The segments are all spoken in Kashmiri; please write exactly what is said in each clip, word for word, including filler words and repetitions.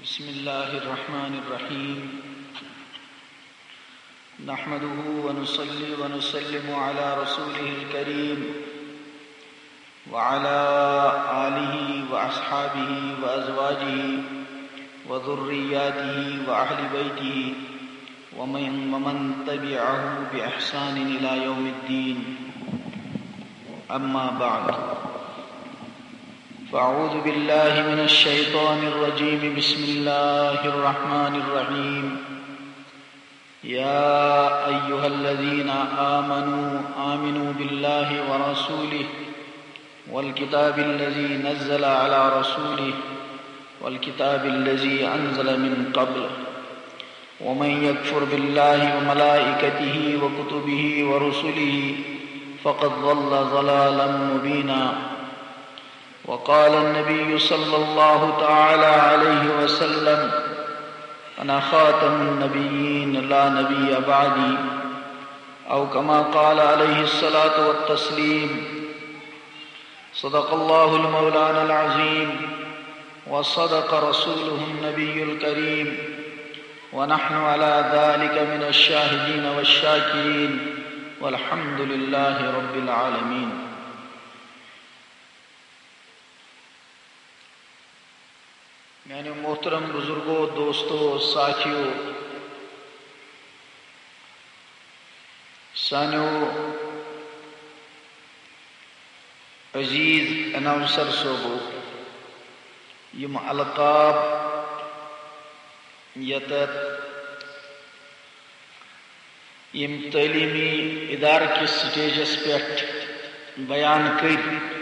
بسم الله الرحمن الرحيم. نحمده ونصلي ونسلم على رسوله الكريم وعلى آله وأصحابه وأزواجه وذرياته وأهل بيته ومن، ومن تبعه بإحسان إلى يوم الدين. أما بعد، فأعوذ بالله من الشيطان الرجيم. بسم الله الرحمن الرحيم. يا أيها الذين آمنوا آمنوا بالله ورسوله والكتاب الذي نزل على رسوله والكتاب الذي أنزل من قبل، ومن يكفر بالله وملائكته وكتبه ورسله فقد ضل ضلالا مبينا. وقال النبي صلى الله تعالى عليه وسلم: أنا خاتم النبيين لا نبي بعدي، أو كما قال عليه الصلاة والتسليم. صدق الله المولانا العظيم، وصدق رسوله النبي الكريم، ونحن على ذلك من الشاهدين والشاكرين، والحمد لله رب العالمين. میانیو محترم بزرگو، دوستو، ساتھیو، سانیو عزیز اناؤنسر صٲبو، یِم القاب یتت یِم تعلیمی ادارٕ کِس سٹیجس پٮ۪ٹھ بیان کٔرۍ،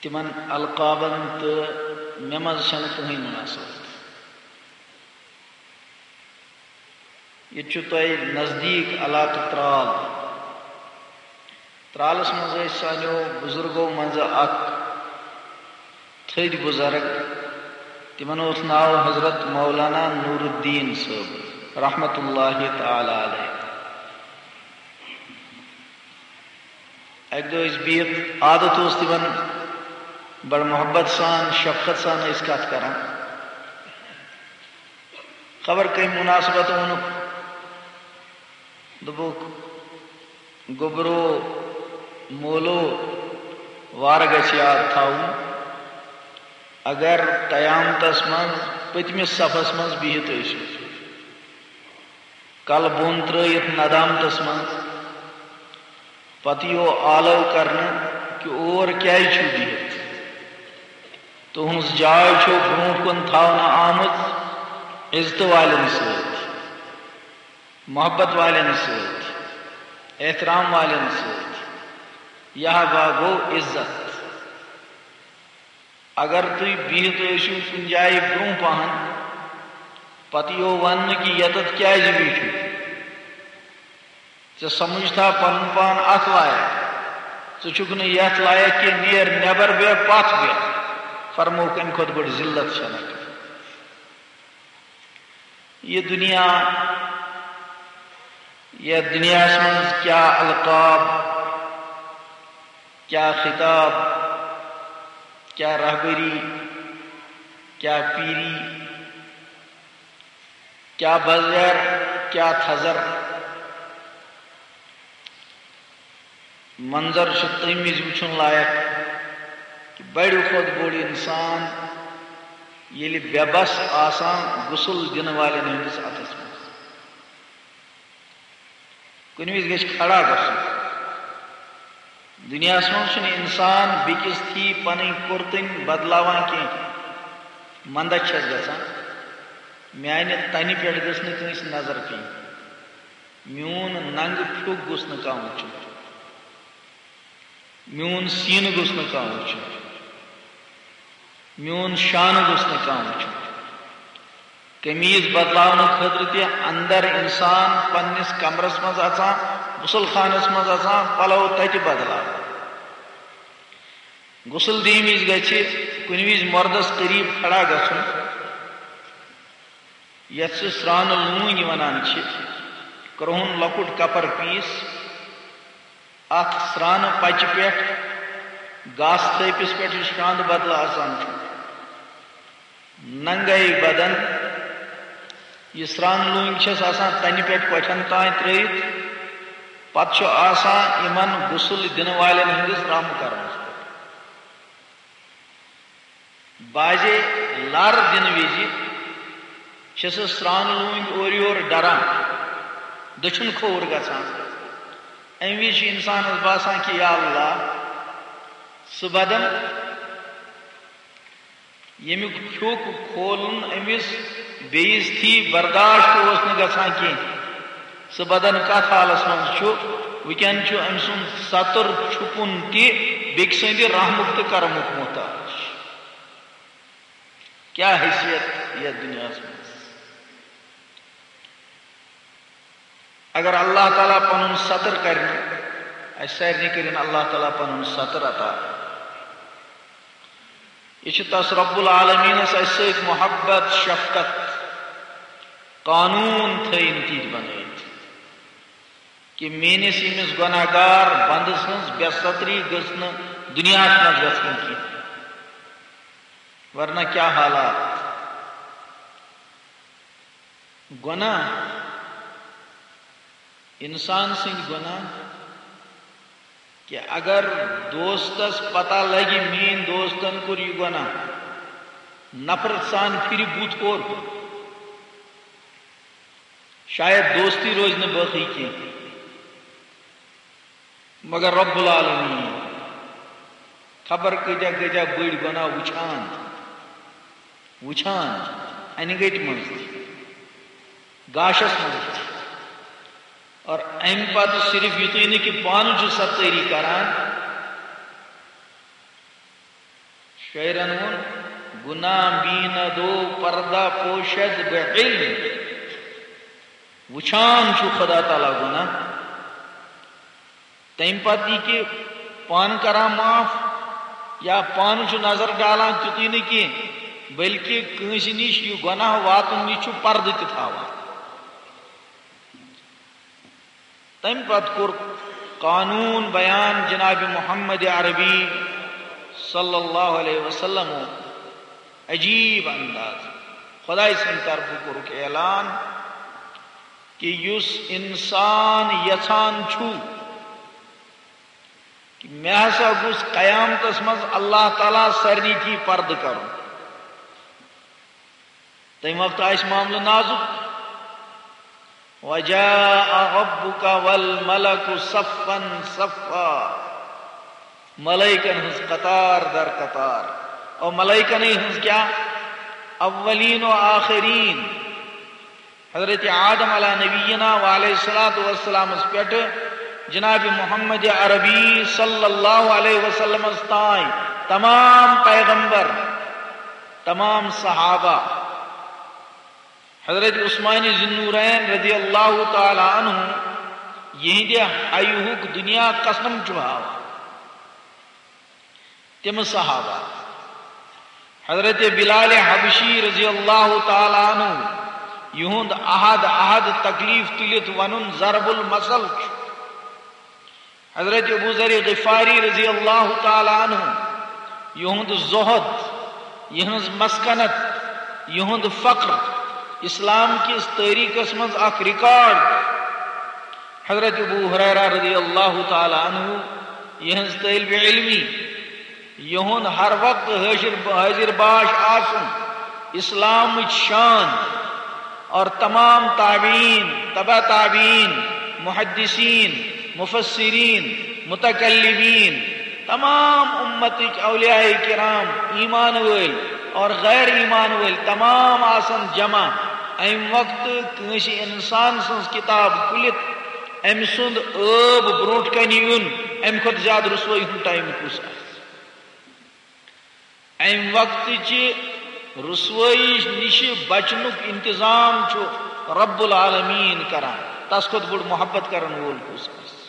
تِمن القابن تہٕ مےٚ منٛز چھنہٕ کٕہٕنۍ مناسبت۔ ییٚتہِ چھُ تۄہہِ نزدیٖک علاقہٕ ترال۔ ترالس منٛز ٲسۍ سانیو بزرگو منٛزٕ اکھ تھٔدۍ بزرگ، تِمن اوس ناو حضرت مولانا نور الدین صٲب رحمت اللہ تعالی علیہ۔ اکہِ دۄہ ٲسۍ بِہِتھ، عادت اوس تِمن بڑٕ محبت سان، شفقت سان ٲسۍ کتھ کران۔ خبر کمہِ مناسبت ووٚنُکھ، دوٚپُکھ، "گوٚبرو، مولو، وارٕ گژھِ یاد تھاوُن، اگر قیامتس منٛز پٔتمِس صفس منٛز بِہِتھ ٲسِو، کلہٕ بۄن ترٲیِتھ ندامتس منٛز، پتہٕ یِیو آلو کرنہٕ کہِ اور کیازِ چھِو بِہِتھ؟ تُہٕنٛز جاے چھو برونٛٹھ کُن تھاونہٕ آمٕژ عزتہٕ والٮ۪ن سۭتۍ، محبت والٮ۪ن سۭتۍ، احترام والٮ۪ن سۭتۍ۔ یہِ ہا گوٚو عزت۔ اگر تُہۍ بِہِتھ ٲسِو کُنہِ جایہِ برونٛہہ پہن، پتہٕ یِیو وننہٕ کہِ یتتھ کیازِ بیٖٹھِو؟ ژےٚ سمجھتھا پنُن پان اتھ لایق؟ ژٕ چھُکھ نہٕ یتھ لایق کینٛہہ، نیر نٮ۪بر بیٚہہ، پتھ بیٚہہ۔ فرمووُکھ، امہِ کھۄتہٕ بٔڑ ذلت چھنہٕ۔ یہِ دُنیا، یتھ دُنیاہس منٛز کیٛاہ القاب، کیٛاہ خطاب، کیٛاہ رہبری، کیٛاہ پیری، کیٛاہ بزیر، کیٛاہ تھزر۔ منظر چھُ تَمہِ وِزِ وٕچھُن لایق کہِ بڑِ کھۄتہٕ بوٚڑ اِنسان ییٚلہِ بے بس آسان غسل دِنہٕ والٮ۪ن ہٕنٛدِس اَتھس منٛز۔ کُنہِ وِزِ گژھِ کھڑا گژھُن۔ دُنیاہَس منٛز چھُنہٕ اِنسان بیٚکِس تھی پنٕنۍ کُرتٕنۍ بدلاوان کینٛہہ۔ منٛدَچھ چھَس گژھان، میٛانہِ تَنہِ پٮ۪ٹھ گٔژھ نہٕ کٲنٛسہِ نظر پیٚنۍ۔ میون ننگہٕ پھیُک گوٚژھ نہٕ کانٛہہ وٕچھُن، میون سیٖنہٕ گوٚژھ نہٕ کانٛہہ وٕچھُن، میون شانہٕ گوٚژھ نہٕ کانٛہہ وٕچھُن۔ قمیٖض بدلاونہٕ خٲطرٕ تہِ اندر اِنسان پننِس کمرس منٛز اژان، غسل خانس منٛز اژان، پلو تتہِ بدلاوان۔ غسل دِنہٕ وِزِ گژھِ کُنہِ وِزِ مردس قریب کھڑا گژھُن، یتھ سُہ سرٛانہٕ لوٗنۍ ونان چھِ، کرٛہُن لۄکُٹ کپر پیٖس، اتھ سرٛانہٕ پچہِ پٮ۪ٹھ گاسہٕ تھٲپِس پٮ۪ٹھ یُس شاندٕ بدلہٕ آسان چھُ، ننگے بدن، یہِ سرٛان لوٗنٛگۍ چھَس آسان تَنہِ پٮ۪ٹھ کۄٹھٮ۪ن تام ترٛٲوِتھ، پتہٕ چھُ آسان یِمن غسل دِنہٕ والٮ۪ن ہٕنٛدِس رحم کرنَس پٮ۪ٹھ۔ بعضے لر دِنہٕ وِزِ چھِ سُہ سرٛان لوٗنٛگۍ اورٕ یور ڈران، دٔچھُن کھووُر گژھان۔ اَمہِ وِزِ چھُ اِنسانَس باسان کہِ یا اللہ، سُہ بدن ییٚمیُک پھیُک کھولُن أمِس بے عزتی برداشت اوس نہٕ گژھان کینٛہہ۔ سُہ بدن کتھ حالس منٛز چھُ؟ وٕنکٮ۪ن چھُ أمۍ سُنٛد ستر چھُپُن تہِ بیٚکہِ سٕنٛدِ رحمُک تہٕ کرمُک محتاج۔ کیٛاہ حیثیت یتھ دُنیاہس منٛز؟ اگر اللہ تعالیٰ پنُن ستر کرِ نہٕ، اسہِ سارنٕے کٔرِن اللہ تعالیٰ پنُن ستر عطا۔ یہِ چھُ تس رب العالمینس اسہِ سۭتۍ محبت، شفقت، قانون تھٲیِن تِتھۍ بنٲوِتھ کہِ میٲنِس ییٚمِس گۄناہ گار بندٕ سٕنٛز بے ستری گٔژھ نہٕ دُنیاہس منٛز گژھٕنۍ کینٛہہ، ورنہ کیٛاہ حالات۔ گۄناہ، انسان سٕنٛدۍ گۄناہ، کہِ اگر دوستس پتہ لگہِ میٲنۍ دوستن کوٚر یہِ گۄناہ، نفرت سان پھرِ بُتھ اورٕ، شاید دوستی روزِ نہٕ باقٕے کینٛہہ۔ مگر رب العالمین خبر کۭتیاہ کۭتیاہ بٔڑۍ گۄناہ وٕچھان، وٕچھان، انہِ گٔٹۍ منٛز تہِ، گاشس منٛز تہِ۔ اور امہِ پتہٕ صرف یُتُے نہٕ کہِ پانہٕ چھُ ستٲری کران، شٲعرن ووٚن، "گناہ بیند و پردہ پوشد به علم"، وٕچھان چھُ خدا تعالیٰ گۄناہ، تَمہِ پتہٕ یہِ کہِ پانہٕ کران معاف یا پانہٕ چھُ نظر ڈالان تیُتُے نہٕ کینٛہہ، بلکہِ کٲنٛسہِ نِش یہِ گۄناہ واتُن نِش چھُ پردٕ تہِ تھاوان۔ تَمہِ پتہٕ کوٚر قانوٗن بیان جناب محمد عربی صلی اللہ علیہ وسلم عجیب انداز۔ خداے سٕنٛدِ طرفہٕ کوٚرُکھ اعلان کہِ یُس انسان یژھان چھُ کہِ مےٚ ہسا گوٚژھ قیامتس منٛز اللہ تعالیٰ سارنٕے تھی پردٕ کرُن، تَمہِ وقتہٕ آسہِ معاملہٕ نازُک۔ وجاء ربك والملك صفا صفا۔ ملائکن ہٕنٛز قطار در قطار۔ اور ملائکنٕے ہٕنٛز کیٛاہ؟ اولین و آخرین۔ حضرت آدم علیہ نبینا و علیہ الصلوۃ والسلامس پٮ۪ٹھ جناب محمد عربی صلی اللہ علیہ وسلمس تام تمام پیغمبر، تمام صحابہ، حضرت عثمان ذی النورین رضی اللہ تعالیٰ عنہ، یہندِ حیہُک دنیا قسم چھُ ہاوان۔ تِم صحابہ، حضرت بلال حبشی رضی اللہ تعالیٰ عنہ، یہند عہد عہد تکلیف تُلِتھ ونُن ضرب المثل چھُ۔ حضرت ابو ذر غفاری رضی اللہ تعالیٰ عنہ، یہند زہد، یہنز مسکنت، یہند فقر، اسلام کس تاریخس منٛز اکھ ریکارڈ۔ حضرت ابو ہریرہ رضی اللہ تعالیٰ عنہ، یہنز طالب علمی، یہند ہر وقت حاضر، حاضر باش آسن، اسلامٕچ شان، اور تمام تابعین، تبع تابعین، محدثین، مفسرین، متکلمین، تمام امتٕکۍ اولیاء کرام، ایمان وٲلۍ اور غیر ایمان وٲلۍ، تمام آسن جمع۔ امہِ وقتہٕ کٲنٛسہِ انسان سٕنٛز کتاب کھُلِتھ أمۍ سُنٛد عٲب برونٛٹھ کنہِ یُن، امہِ کھۄتہٕ زیادٕ رسوٲیی ہُنٛد ٹایم کُس آسہِ؟ امہِ وقتٕچہِ رسوٲیی نِشہِ بچنُک انتظام چھُ رب العالمین کران۔ تس کھۄتہٕ بوٚڑ محبت کرن وول کُس آسہِ؟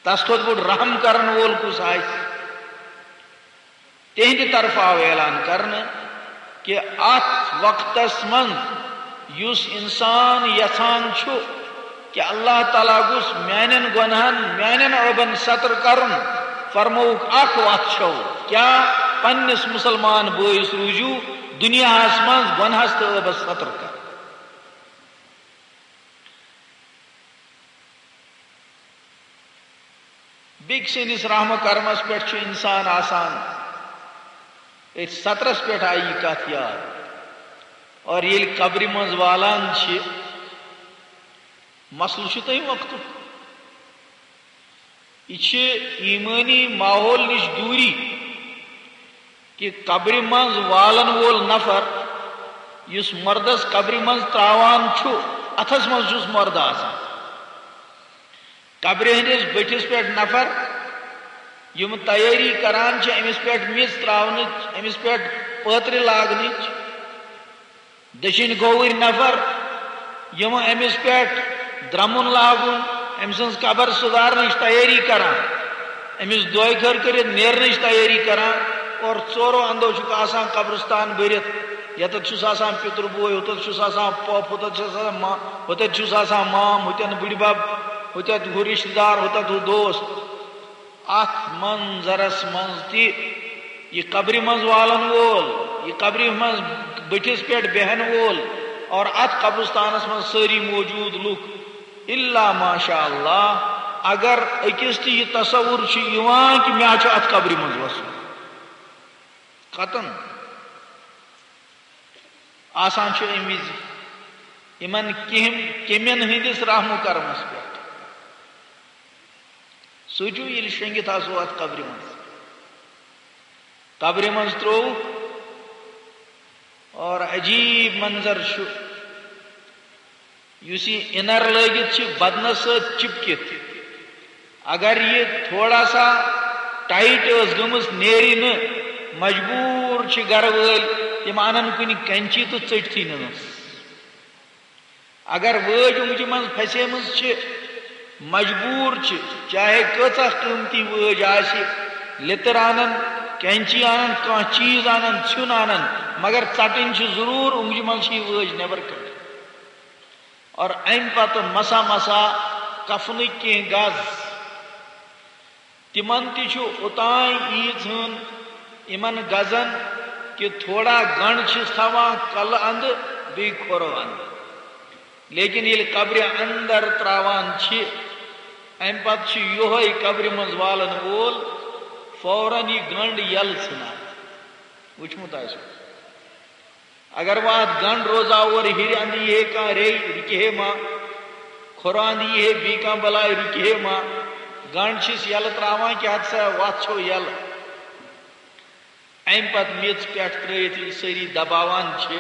تس کھۄتہٕ بوٚڑ رحم کرن وول کُس آسہِ؟ تِہنٛدِ طرفہٕ آو اعلان کرنہٕ کہِ اتھ وقتس منٛز یُس انسان یژھان چھُ کہِ اللہ تعالیٰ گوٚژھ میانٮ۪ن گۄنہن، میانٮ۪ن عٲبن ستر کرُن، فرمووُکھ اکھ وتھ چھو، کیا؟ پننِس مسلمان بٲیِس روٗزِو دنیاہس منٛز گۄنہس تہٕ عٲبس ستر کر۔ بیٚکہِ سٕنٛدِس رحم و کرمس پٮ۪ٹھ چھُ انسان آسان۔ أتھۍ سترس پٮ۪ٹھ آیہِ یہِ کتھ یاد۔ اور ییٚلہِ قبرِ منٛز والان چھِ، مسلہٕ چھُ تٔمۍ وقتُک۔ یہِ چھِ ایمٲنی ماحول نِش دوٗری۔ کہِ قبرِ منٛز والن وول نفر یُس مردس قبرِ منٛز ترٛاوان چھُ، اتھس منٛز چھُس مردٕ آسان۔ قبرِ ہٕنٛدِس بٔٹھِس پٮ۪ٹھ نفر یِم تیٲری کران چھِ أمِس پٮ۪ٹھ میٚژ ترٛاونٕچ، أمِس پٮ۪ٹھ پٲترِ لاگنٕچ، دٔچھِنۍ کھووٕرۍ نفر یِم أمِس پٮ۪ٹھ درٛمُن لاگُن، أمۍ سٕنٛز قبر سُدھارنٕچ تیٲری کران، أمِس دۄیہِ خٲر کٔرِتھ نیرنٕچ تیٲری کران، اور ژورو اندو چھُکھ آسان قبرستان بٔرِتھ۔ ییٚتٮ۪تھ چھُس آسان پِتُر بوے، ہُتٮ۪تھ چھُس آسان پۄپھ، ہُتٮ۪تھ چھُس آسان ما-، ہُتٮ۪تھ چھُس آسان مام، ہُتٮ۪ن بٕڈِ بب، ہُتٮ۪تھ ہُہ رِشتہٕ دار، ہُتٮ۪تھ ہُہ دوست۔ اتھ منظرس منٛز تہِ یہِ قبرِ منٛز والن وول، یہِ قبرِ منٛز بٔٹھِس پٮ۪ٹھ بیہن وول اور اتھ قبرستانس منٛز سٲری موجود لُکھ، الا ماشاء اللہ، اگر أکِس تہِ یہِ تصور چھُ یِوان کہِ مےٚ چھُ اتھ قبرِ منٛز وسُن، قطعاً آسان چھُ امہِ وِزِ یِمن کیٚم-، کیٚمٮ۪ن ہٕنٛدِس رحم و کرمس پٮ۪ٹھ۔ سوٗنٛچِو، ییٚلہِ شۄنٛگِتھ آسو اَتھ قبرِ منٛز، قبرِ منٛز ترٛووُکھ، اور عجیٖب منظر چھُ، یُس یہِ اِنَر لٲگِتھ چھِ بدنَس سۭتۍ چِپکِتھ، اگر یہِ تھوڑا سا ٹایٹ ٲس گٔمٕژ، نیرِ نہٕ، مجبوٗر چھِ گرٕ وٲلۍ، تِم اَنَن کُنہِ کینچی تہٕ ژٔٹتھٕے نہٕ۔ اگر وٲج اونٛگجہِ منٛز پھسیمٕژ چھِ، مجبوٗر چھِ، چاہے کۭژاہ قۭمتی وٲج آسہِ، لیٚتٕر اَنَن، کینچی اَنَن، کانٛہہ چیٖز اَنَن، ژھیُن اَنَن، مگر ژَٹٕنۍ چھِ ضروٗر، اونٛگجہِ منٛز چھِ یہِ وٲج نٮ۪بر کٔڑِتھ۔ اور اَمہِ پتہٕ مسا مسا کفنٕکۍ کینٛہہ گز۔ تِمن تہِ چھُ اوتام ییٖژ ہن یِمن گزن کہِ تھوڑا گنڈ چھِس تھاوان کلہٕ اندٕ بیٚیہِ کھۄرو اندٕ۔ لیکن ییٚلہِ قبرِ اندر تراوان چھِ، امہِ پتہٕ چھُ یِہوٚے قبرِ منٛز والن وول فوراً یہِ گنڈ یلہٕ ژھٕنان۔ وٕچھمُت آسہِ۔ اگر وۄنۍ اتھ گنڈ روزاو اورٕ ہیٚرِ اندٕ یی ہے کانٛہہ ریٚیہِ، رُکہِ ہے ما؟ کھۄرٕ اندٕ یی ہے بیٚیہِ کانٛہہ بلاے، رُکہِ ہے ما؟ گنڈ چھِس یلہٕ تراوان کہِ ہتہٕ سا وتھ چھو یلہٕ۔ امہِ پتہٕ میٚژ پٮ۪ٹھ ترٲیِتھ ییٚلہِ سٲری دباوان چھِ،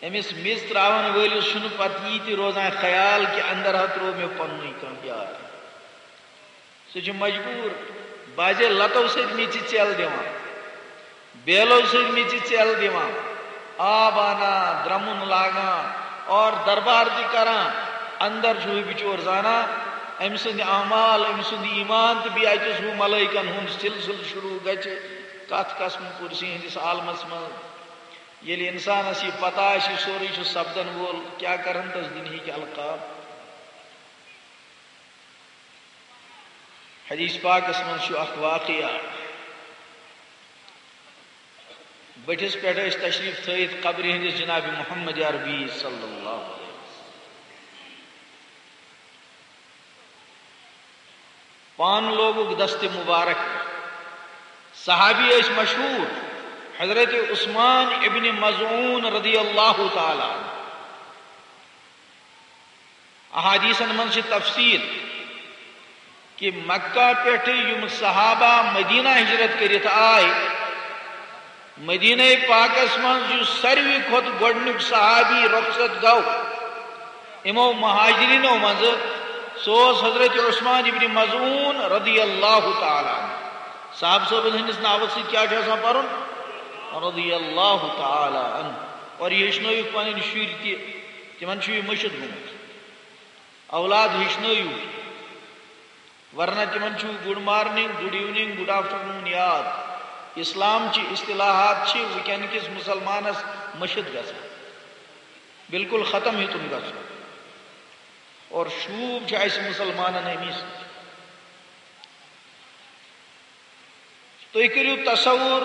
أمِس میٚژ تراون وٲلِس چھُنہٕ پتہٕ یی تہِ روزان خیال کہِ اندر ہا ترٛوو مےٚ پننُے کانٛہہ بیٛاکھ۔ سُہ چھُ مجبوٗر، بعضے لتو سۭتۍ میٚژِ ژٮ۪ل دِوان، بیلو سۭتۍ میٚژِ ژٮ۪ل دِوان، آب انان، درمُن لاگان اور دربار تہِ کران۔ اندر چھُ ہُہ بِچور زانان، أمۍ سٕنٛدۍ اعمال، أمۍ سُنٛد ایمان تہٕ بیٚیہِ اَتہِ اوس ہُہ ملٲیکن ہُنٛد سلسلہٕ شروٗع گژھِ کتھ قسمہٕ کُرسی ہٕنٛدِس عالمس منٛز۔ ییٚلہِ انسانس یہِ پتہ آسہِ، یہِ سورُے چھُ سپدن وول، کیٛاہ کرن تس دُنہِکۍ القاب؟ حدیث پاکس منٛز چھُ اکھ واقعہ۔ بٔٹھِس پٮ۪ٹھ ٲسۍ تشریف تھٲیِتھ قبرِ ہٕنٛدِس جناب محمد عربی صلی اللہ علیہ وسلم۔ پان لوگُکھ دست مبارک۔ صحابی ٲسۍ مشہوٗر، حضرت عثمان ابن مظعون رضی اللہ تعالیٰ عنہ۔ احادیثن منٛز چھِ تفصیل کہِ مکہ پٮ۪ٹھٕ یِم صحابہ مدینہ ہجرت کٔرِتھ آے، مدینہ پاکس منٛز یُس ساروی کھۄتہٕ گۄڈٕنیُک صحابی رخصت گوٚو یِمو مہاجرینو منٛزٕ، سُہ اوس حضرت عثمان ابن مظعون رضی اللہ تعالیٰ عنہ۔ صاحب صٲبن ہٕنٛدِس ناوس سۭتۍ کیٛاہ چھُ آسان پرُن؟ رضی اللہ تعالیٰ عنہ۔ اور یہِ ہیٚچھنٲیِکھ پنٕنۍ شُرۍ تہِ، تِمن چھُ یہِ مٔشِتھ گوٚمُت۔ اولاد ہیٚچھنٲیِو، ورنہ تِمن چھُ good morning, good evening, good afternoon یاد۔ اسلام چہِ اصطلاحات چھِ وٕنکیٚن کِس مسلمانس مٔشِتھ گژھان، بالکل ختم ہیوٚتُن گژھُن۔ اور شوٗب چھُ اسہِ مسلمانن امی سۭتۍ۔ تُہۍ کٔرِو تصور،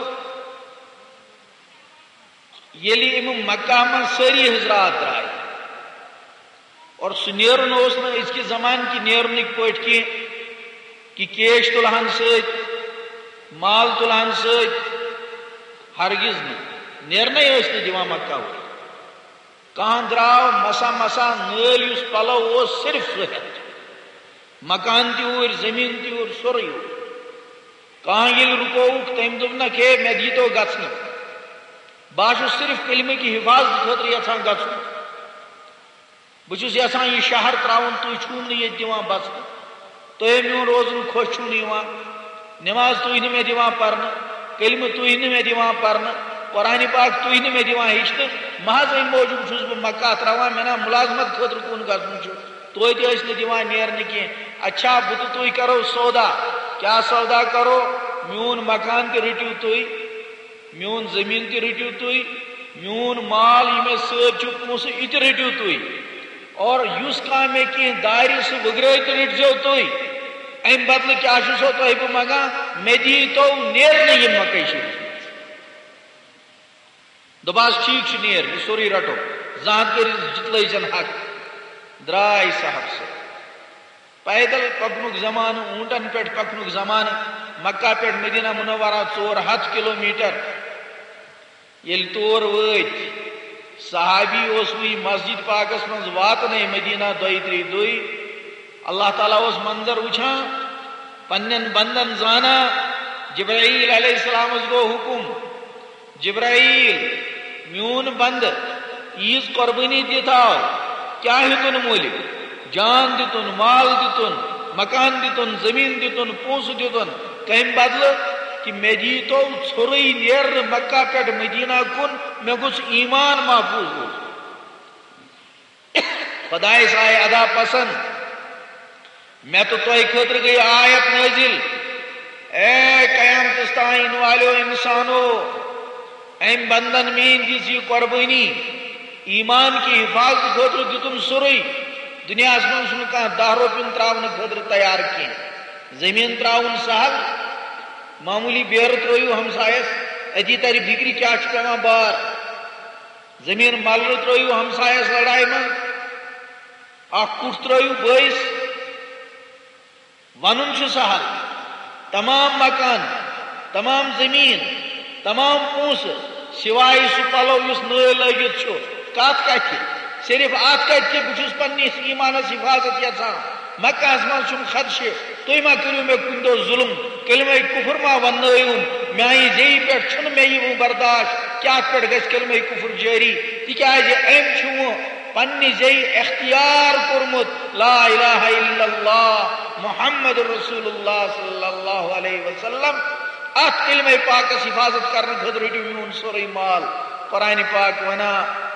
ییٚلہِ یِم مکہ منٛز سٲری حضرات درٛاے اور سُہ نیرُن اوس نہٕ أزکہِ زمانہٕ کہِ نیرنٕکۍ پٲٹھۍ کینٛہہ، کہِ کیش تُلہن سۭتۍ، مال تُلہن سۭتۍ، ہرگز نہٕ۔ نیرنَے ٲسۍ نہٕ دِوان مکہ وٲلۍ۔ کانٛہہ درٛاو مسا مسا، نٲلۍ یُس پلو اوس، صرف سُہ ہٮ۪تھ۔ مکان تہِ اوٗرۍ، زٔمیٖن تہِ اوٗرۍ، سورُے اوٗرۍ۔ کانٛہہ ییٚلہِ رُکووُکھ، تٔمۍ دوٚپ، "نہ، ہے، مےٚ دیٖتو گژھنہٕ۔ بہٕ ہا چھُس صرف کلمہٕ کہِ حفاظت خٲطرٕ یژھان گژھُن۔ بہٕ چھُس یژھان یہِ شہر ترٛاوُن، تُہۍ چھُو نہٕ ییٚتہِ دِوان بسنہٕ۔ تۄہہِ میون روزُن خۄش چھُو نہٕ یِوان۔ نماز تُہۍ نہٕ مےٚ دِوان پرنہٕ، کلمہٕ تُہۍ نہٕ مےٚ دِوان پرنہٕ، قرآن پاک تُہۍ نہٕ مےٚ دِوان ہیٚچھنہٕ۔ محض اَمہِ موٗجوٗب چھُس بہٕ مکہ ترٛاوان، مےٚ نا مُلازمت خٲطرٕ کُن گژھُن چھُ۔" توتہِ ٲسۍ نہٕ دِوان نیرنہٕ کینٛہہ۔ اچھا، بہٕ تہٕ تُہۍ کرو سودا۔ کیٛاہ سودا کرو؟ میون مکان تہِ رٔٹِو تُہۍ، میون زٔمیٖن تہِ رٔٹِو تُہۍ، میون مال، یہِ مےٚ سۭتۍ چھُ پونٛسہٕ، یہِ تہِ رٔٹِو تُہۍ۔ اور یُس کانٛہہ مےٚ کینٛہہ دارِ، سُہ وٕگرٲوِتھ تہِ رٔٹۍزیو تُہۍ۔ اَمہِ بدلہٕ کیٛاہ چھُسو تۄہہِ بہٕ منٛگان؟ مےٚ دِیٖتو نیرنہٕ یہِ مکہ شریٖف۔ دوٚپہَس، "ٹھیٖک چھُ، نیر، یہِ سورُے رَٹو، زانٛہہ کٔرِتھ جِتلٲے زٮ۪ن حق۔" درٛاے صاحب سُہ۔ پیدل پکنُک زمانہٕ، اوٗنٹن پٮ۪ٹھ پکنُک زمانہٕ، مکہ پٮ۪ٹھ مدینہ منورہ ژور ہتھ کلومیٹر۔ ییٚلہِ تور وٲتۍ، صحابی اوس وٕنہِ مسجد پاکس منٛز واتنَے مدینہ دۄیہِ ترٛیٚیہِ دۄہہِ۔ اللہ تعالیٰ اوس منظر وٕچھان، پننٮ۪ن بندن زانان۔ جبرائیل علیہ السلامس گوٚو حُکم، "جبرائیل، میون بندٕ، عیٖذ قۄربٲنی دِتھ آو، کیٛاہ ہیوٚتُن مٔلۍ؟ جان دِتُن، مال دِتُن، مکان دِتُن، زٔمیٖن دِتُن، پونٛسہٕ دِتُن، کَمہِ بدلہٕ؟ کہِ مےٚ دیٖتو ژھوٚرُے نیرنہٕ مکہ پٮ۪ٹھ مدینہ کُن، مےٚ گوٚژھ ایمان محفوظ روزُن۔" خۄدایس آیہِ ادا پسند۔ مےٚ تہٕ تۄہہِ خٲطرٕ گٔیہِ آیت نٲزِل، اے قیامتس تام یِنہٕ والیو انسانو، أمۍ بندن میٲنۍ دِژ یہِ قۄربٲنی، ایمان کہِ حفاظت خٲطرٕ دِتُن سورُے۔ دُنیاہس منٛز چھُنہٕ کانٛہہ دَہ رۄپیُن ترٛاونہٕ خٲطرٕ تیار کینٛہہ۔ زٔمیٖن ترٛاوُن سہل، معموٗلی بیرٕ ترٛٲیِو ہمسایس، أتی ترِ فِکرِ کیٛاہ چھُ پٮ۪وان بار۔ زٔمیٖن ملرٕ ترٛٲیِو ہمسایس لڑایہِ منٛز، اکھ کُٹھ ترٛٲیِو بٲیِس۔ ونُن چھُ سہل، تمام مکان، تمام زٔمیٖن، تمام پونٛسہٕ، سوائے سُہ پلو یُس نٲلۍ لٲگِتھ چھُ، کتھ کتھِ؟ صرف اتھ کتھِ کہِ بہٕ چھُس پننِس ایمانس حفاظت یژھان۔ مکہس منٛز چھُم خدشہِ، تُہۍ ما کٔرِو مےٚ کُنہِ دۄہ ظلم، کلمہ کفر ما وننٲیِو۔ میانہِ زیٚیہِ پٮ۪ٹھ چھُنہٕ مےٚ یہِ وۄنۍ برداشت کہِ اتھ پٮ۪ٹھ گژھِ کلمہ کفر جٲری، تِکیازِ أمۍ چھُ وۄنۍ پننہِ زیٚیہِ اختیار کوٚرمُت لا الہ الا اللہ محمد رسول اللہ صلی اللہ علیہ وسلم۔ اتھ کلمہ پاکس حفاظت کرنہٕ خٲطرٕ رٔٹِو میون سورُے مال۔ قرآن پاک ونان،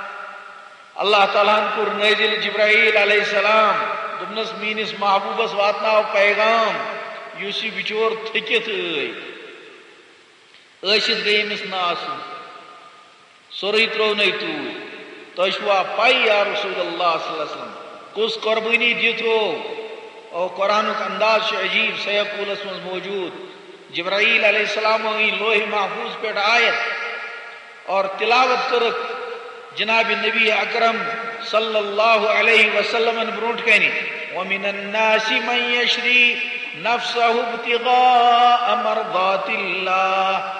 اللہ تعالیٰ ہن کوٚر نٲزِل جبرائیل علیہ السلام، دوٚپنس، "میٲنِس محبوبس واتناو پیغام، یُس یہِ بچور تھٔکِتھ ٲے، ٲسِتھ گٔے أمِس نہٕ آسُن، سورُے ترٛوونَے توٗرۍ۔ تۄہہِ چھُوا پَے یا رسول اللہ صلی اللہ علیہ وسلم، کُس قۄربٲنی دِتھ روو؟" او قرآنُک انداز چھُ عجیٖب، سیقولس منٛز موجود۔ جبرائیل علیہ السلام أنۍ لوح محفوظ پٮ۪ٹھ آیت اور تلاوت کٔرٕکھ جناب نبی اکرم صلی اللہ علیہ وسلمن برونٛٹھ کنہِ، "ومن الناس من یشری نفسه ابتغاء مرضات اللہ۔"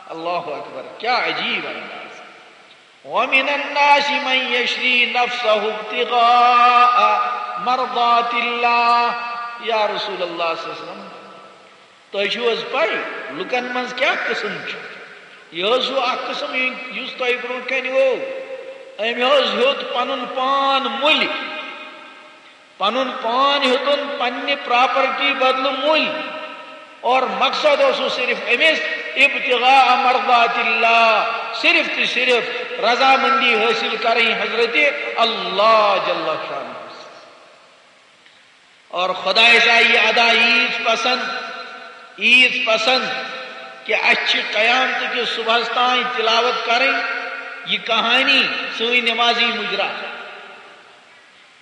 اللہ اکبر، کیا عجیب انداز۔ "ومن الناس من یشری نفسه ابتغاء مرضات اللہ۔" یا رسول اللہ صلی اللہ علیہ وسلم، تۄہہِ چھُو حظ پَے، لُکَن منٛز کیٛاہ قٕسم چھُ؟ یہِ حظ چھُ اَکھ قٕسم، یہِ-، یُس تۄہہِ برٛونٛٹھ کَنہِ گوٚو۔ أمۍ حظ ہیوٚت پَنُن پان مٔلۍ، پَنُن پان ہیوٚتُن پنٛنہِ پراپرٹی بدلہٕ مٔلۍ۔ اور مقصد اوسُس صرف أمِس ابتغاء مرضات اللہ، صرف تہٕ صرف رضامندی حٲصِل کَرٕنۍ حضرت اللہ جل شانہ۔ اور خۄدایَس آیہِ یہِ ادا ییٖژ پسنٛد، ییٖژ پسنٛد کہِ اَسہِ چھِ قیامتہٕ کِس صُبحَس تام تِلاوت کَرٕنۍ یہِ کہانی سٲنۍ نمازی مُجرا۔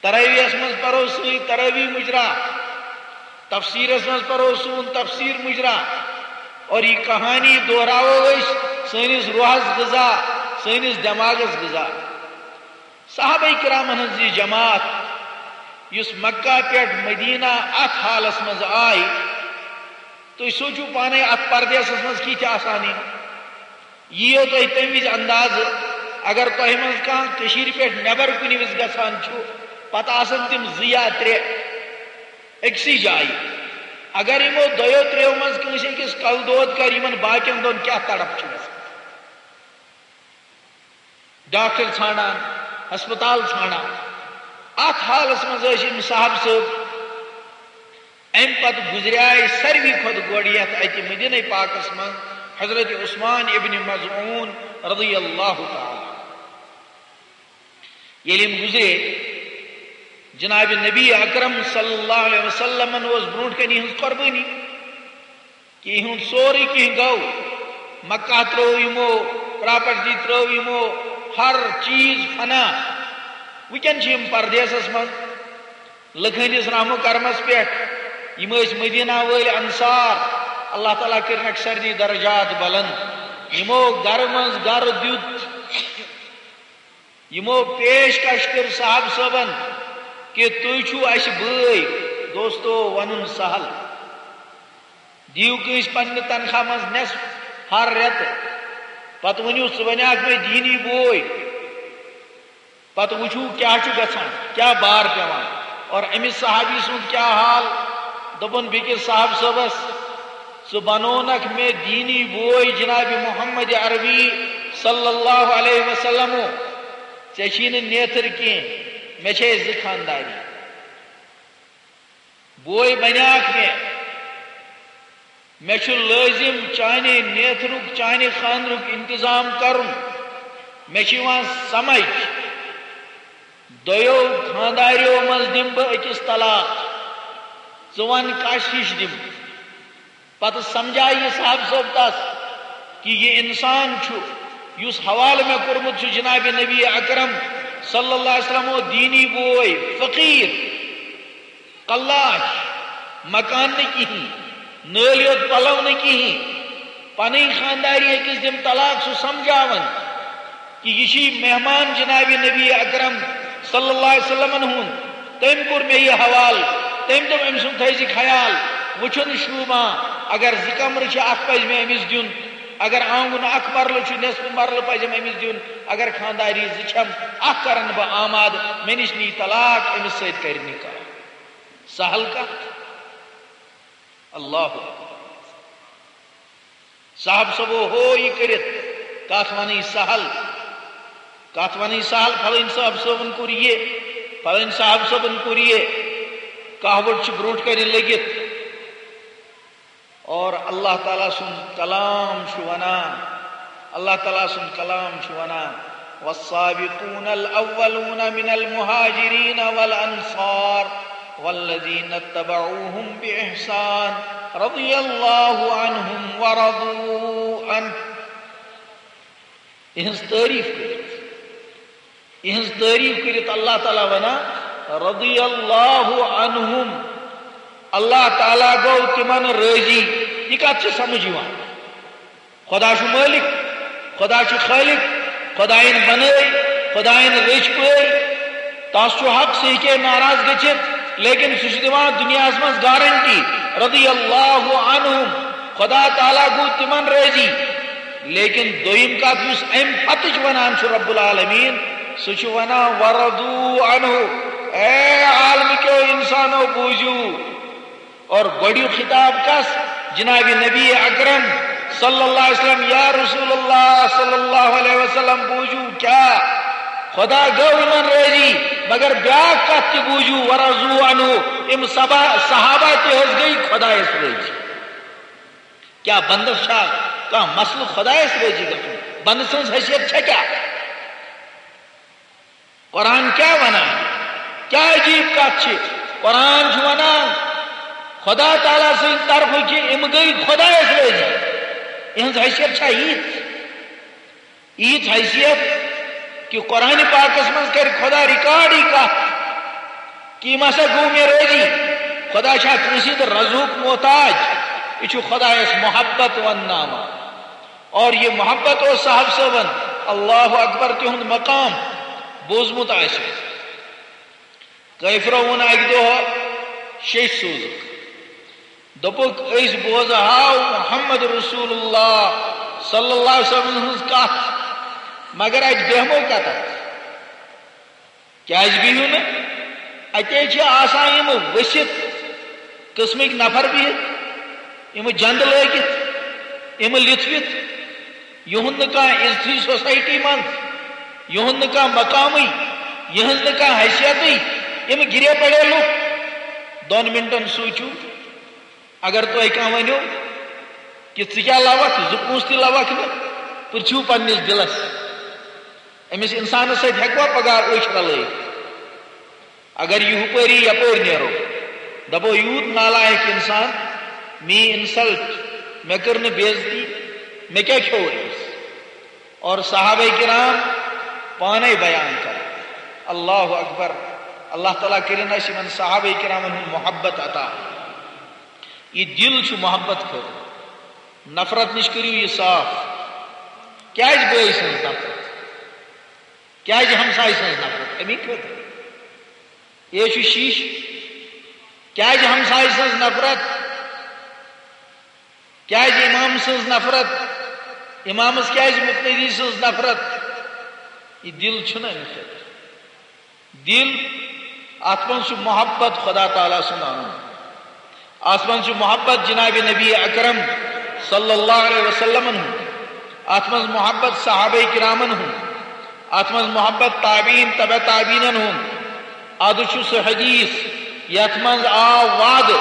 تراویحس منٛز پَرو سٲنۍ تراویح مُجرا، تفسیٖرَس منٛز پَرو سون تفسیٖر مُجرا، اور یہِ کہانی دۄہراوو أسۍ سٲنِس روحَس غذا، سٲنِس دٮ۪ماغس غذا۔ صحابہ کرامن ہٕنٛز یہِ جماعت، یُس مکہ پٮ۪ٹھ مدینہ اتھ حالس منٛز آے، تُہۍ سوٗنٛچِو پانے، اتھ پردیسس منٛز کِتھۍ آسان یِم۔ یِیو تۄہہِ تمہِ وِزِ اندازٕ، اگر تۄہہِ منٛز کانٛہہ کٔشیٖرِ پٮ۪ٹھ نٮ۪بر کُنہِ وِزِ گژھان چھُ، پتہٕ آسن تِم زٕ یا ترٛےٚ أکسٕے جایہِ۔ اگر یِمو دۄیو ترٛیو منٛز کٲنٛسہِ أکِس کلہٕ دود کرِ، یِمن باقین دۄن کیٛاہ تڑپ چھِ گژھان؟ ڈاکٹر ژھانڈان، ہسپتال ژھانڈان۔ اتھ حالس منٛز ٲسۍ یِم صاحب صٲب۔ امہِ پتہٕ گُزریاے ساروی کھۄتہٕ گۄڈٕ یتھ اتہِ مدینہ پاکس منٛز حضرت عثمان ابن مظعون رضی اللہ تعالیٰ عنہ۔ ییٚلہِ یِم گُزرے، جناب نبی اکرم صلی اللہ علیہ وسلمن اوس برونٛٹھ کنہِ یِہٕنٛز قۄربٲنی۔ کینٛہہ ہُنٛد سورُے کینٛہہ گوٚو۔ مکہ ترٲو یِمو، پراپرٹی ترٲو یِمو، ہر چیٖز فنا۔ وٕنکٮ۪ن چھِ یِم پردیسس منٛز لُکہٕ ہٕنٛدِس رحم و کرمس پٮ۪ٹھ۔ یِم ٲسۍ مدینہ وٲلۍ انصار۔ اللہ تعالیٰ کٔرِنکھ سارنٕے درجات بلند۔ یِمو گرٕ منٛز گرٕ دیُت۔ یِمو پیشکش کٔر صاحب صٲبن کہِ تُہۍ چھِو اَسہِ بٲے۔ دوستو، وَنُن سہل۔ دِیِو کٲنٛسہِ پننہِ تنخواہ منٛز نٮ۪صف ہر رٮ۪تہٕ۔ پتہٕ ؤنِو، "ژٕ بنیاکھ مےٚ دیٖنی بوے۔" پتہٕ وٕچھِو کیٛاہ چھُ گژھان، کیٛاہ بار پٮ۪وان۔ اور أمِس صحابی سُنٛد کیٛاہ حال؟ دوٚپُن بیٚکِس صاحب صٲبس، "ژٕ بنوونکھ مےٚ دیٖنی بوے جناب محمد عربی صلی اللہ علیہ وسلمو۔ ژےٚ چھی نہٕ نیتھٕر کینٛہہ، مےٚ چھے زٕ خانداری۔ بوے بنیاکھ مےٚ، مےٚ چھُ لٲزِم چانہِ نیتھرُک، چانہِ خاندرُک انتظام کرُن۔ مےٚ چھُ یِوان سمجھ، دۄیو خانداریو منٛز دِمہٕ بہٕ أکِس طلاق۔ ژٕ وَن کَس ہِش دِمہٕ؟" پتہٕ سمجھایہِ یہِ صاحب صٲب تس کہِ یہِ انسان چھُ، یُس حوالہٕ مےٚ کوٚرمُت چھُ جناب نبی اکرم صلی اللہ علیہ وسلم، او دیٖنی بوے، فقیٖر، قلاش، مکان نہٕ کِہیٖنۍ، نٲلۍ یوت پلو نہٕ کِہیٖنۍ، پنٕنۍ خانداری أکِس دِم طلاق، سُہ سمجھاوان کہِ یہِ چھُ مہمان جناب نبی اکرم صلی اللہ علیہ وسلمن ہُنٛد۔ تٔمۍ کوٚر مےٚ یہِ حوالہٕ، تٔمۍ دوٚپ أمۍ سُنٛد تھٲیزِ خیال، وٕچھُن شوٗبان، اگر زٕ کمرٕ چھِ، اکھ پزِ مےٚ أمِس دیُن، اگر آنگُن اکھ مرلہٕ چھُ، نٮ۪صف مرلہٕ پزٮ۪م أمِس دیُن، اگر خانداری زٕ چھَم، اکھ کرن بہٕ آمادٕ، مےٚ نِش نی طلاق، أمِس سۭتۍ کرِ نکاح۔ سہل کتھ۔ اللہ اکبر۔ صاحب صٲبو ہو یہِ کٔرِتھ، کتھ ونٕنۍ سہل، کتھ ونٕنۍ سہل، فلٲنۍ صاحب صٲبن کوٚر یہِ، فلٲنۍ صاحب صٲبن کوٚر یہِ، کہوٹ چھُ برونٛٹھ کنہِ لٔگِتھ۔ اور اللہ تعالیٰ سُنٛد کلام چھُ ونان، اللہ تعالیٰ سُنٛد کلام چھُ ونان، "والسابقون الأولون من المهاجرين والأنصار والذين اتبعوهم بإحسان رضي الله عنهم ورضوا عنه"۔ یِہٕنٛز تعریٖف کٔرِتھ، یِہٕنٛز تعریٖف کٔرِتھ اللہ تعالیٰ ونان، "رضی اللہ عنہم"، اللہ تعالیٰ گوٚو تِمن رٲضی۔ یہِ کتھ چھِ سمجھ یِوان؟ خدا چھُ مٲلِک، خدا چھُ خٲلِق، خدایَن بنٲے، خدایَن رٔچھۍ پٲلۍ۔ تس چھُ حق، سُہ ہیٚکہِ ناراض گٔژھِتھ، لیکن سُہ چھُ دِوان دُنیاہَس منٛز گارنٹی، رضی اللہ عنہم، خدا تعالیٰ گوٚو تِمن رٲضی۔ لیکن دوٚیِم کتھ، یُس اَمہِ پتٕچ ونان چھُ رب العالمین، سُہ چھُ ونان، "ورضوا عنہ"، اے عالمہٕ کیو انسانو، بوٗزِو، اور گۄڈٕنیُک خطاب کس؟ جناب نبی اکرم صلی اللہ علیہ وسلم، یا رسول اللہ صلی اللہ علیہ وسلم، بوٗزِو کیا؟ خدا گوٚو یِمن رٲضی، مگر بیاکھ کتھ تہِ بوٗزِو، ورضوا عنہ، یِم صبا-، صحابہ تہِ حظ گٔے خدایس رٲضی۔ کیا بندس چھا کانٛہہ مسلہٕ خدایس رٲضی گژھُن؟ بندٕ سٕنٛز حیثیت چھےٚ کیا؟ قرآن کیٛاہ ونان؟ کیٛاہ عجیٖب کتھ چھِ؟ قرآن چھُ ونان، خدا تعالیٰ سٕنٛدِ طرفہٕ کہِ یِم گٔے خدایس رٲضی۔ یِہٕنٛز حیثیت چھا یِژھ؟ یِژھ حیثیت کہِ قرآن پاکس منٛز کرِ خدا ریکارڈ یہِ کتھ کہِ یِم ہسا گوٚو مےٚ رٲضی۔ خدا چھا کٲنٛسہِ ہٕنٛدِ رضہُک محتاج؟ یہِ چھُ خدایس محبت ونناوان۔ اور یہِ محبت اوس صاحب صٲبن اللہ اکبر تِہُنٛد مقام بوٗزمُت آسہِ۔ کٲفرو ووٚن اَکہِ دۄہ شیٚش سوٗزُکھ۔ دوٚپُکھ، "أسۍ بوزہاو محمد رسول اللہ صلی اللہ علیہ وسلم ہٕنٛز کتھ، مگر اَتہِ بیہمو کتتھ؟ کیازِ بِہِو نہٕ؟ اَتے چھِ آسان یِم ؤسِتھ قٕسمٕکۍ نفر بِہِتھ، یِم جنٛد لٲگِتھ، یِم لِتھوِتھ، یِہُنٛد نہٕ کانٛہہ عزتھٕے سوسایٹی منٛز، یِہُنٛد نہٕ کانٛہہ مقامٕے، یِہٕنٛز نہٕ کانٛہہ حیثیتٕے، یِم گِرے پڑے لُکھ۔" دۄن منٹن سوٗنٛچِو، اگر تۄہہِ کانٛہہ ونیو کہِ ژٕ کیٛاہ لوکھ، زٕ پونٛسہٕ تہِ لوکھ نہٕ، پرٛژھِو پننِس دِلس، أمِس انسانس سۭتۍ ہیٚکوا پگاہ أچھ رلٲیِتھ؟ اگر یہِ ہُپٲری یپٲرۍ نیرو، دپو، "یوٗت نالایق انسان، میٲنۍ انسلٹ، مےٚ کٔر نہٕ بے عزتی، مےٚ کیٛاہ کھیوٚو أمِس؟" اور صحابہ کرام پانے بیان کران۔ اللہ اکبر۔ اللہ تعالیٰ کٔرِن اَسہِ یِمن صحابہ کرامن ہُنٛد محبت عطا۔ یہِ دِل چھُ محبت خٲطرٕ۔ نفرت نِش کٔرِو یہِ صاف۔ کیازِ بٲے سٕنٛز نفرت؟ کیازِ ہمسایہِ سٕنٛز نفرت؟ اَمی خٲطرٕ۔ یہِ چھُ شیٖشہٕ۔ کیازِ ہمسایہِ سٕنٛز نفرت؟ کیازِ امام سٕنٛز نفرت؟ امامس کیازِ مقتدی سٕنٛز نفرت؟ یہِ دِل چھُنہٕ اَمہِ خٲطرٕ۔ دِل، اتھ منٛز چھُ محبت خدا تعالیٰ سُنٛد انُن۔ اتھ منٛز چھُ محبت جناب نبی اکرم صلی اللہ علیہ وسلمن ہُنٛد۔ اتھ منٛز محبت صحابہ کرامن ہُنٛد۔ اتھ منٛز محبت تابعین، تبع تابعینن ہُنٛد۔ ادٕ چھُ سُہ حدیث یتھ منٛز آو وعدٕ،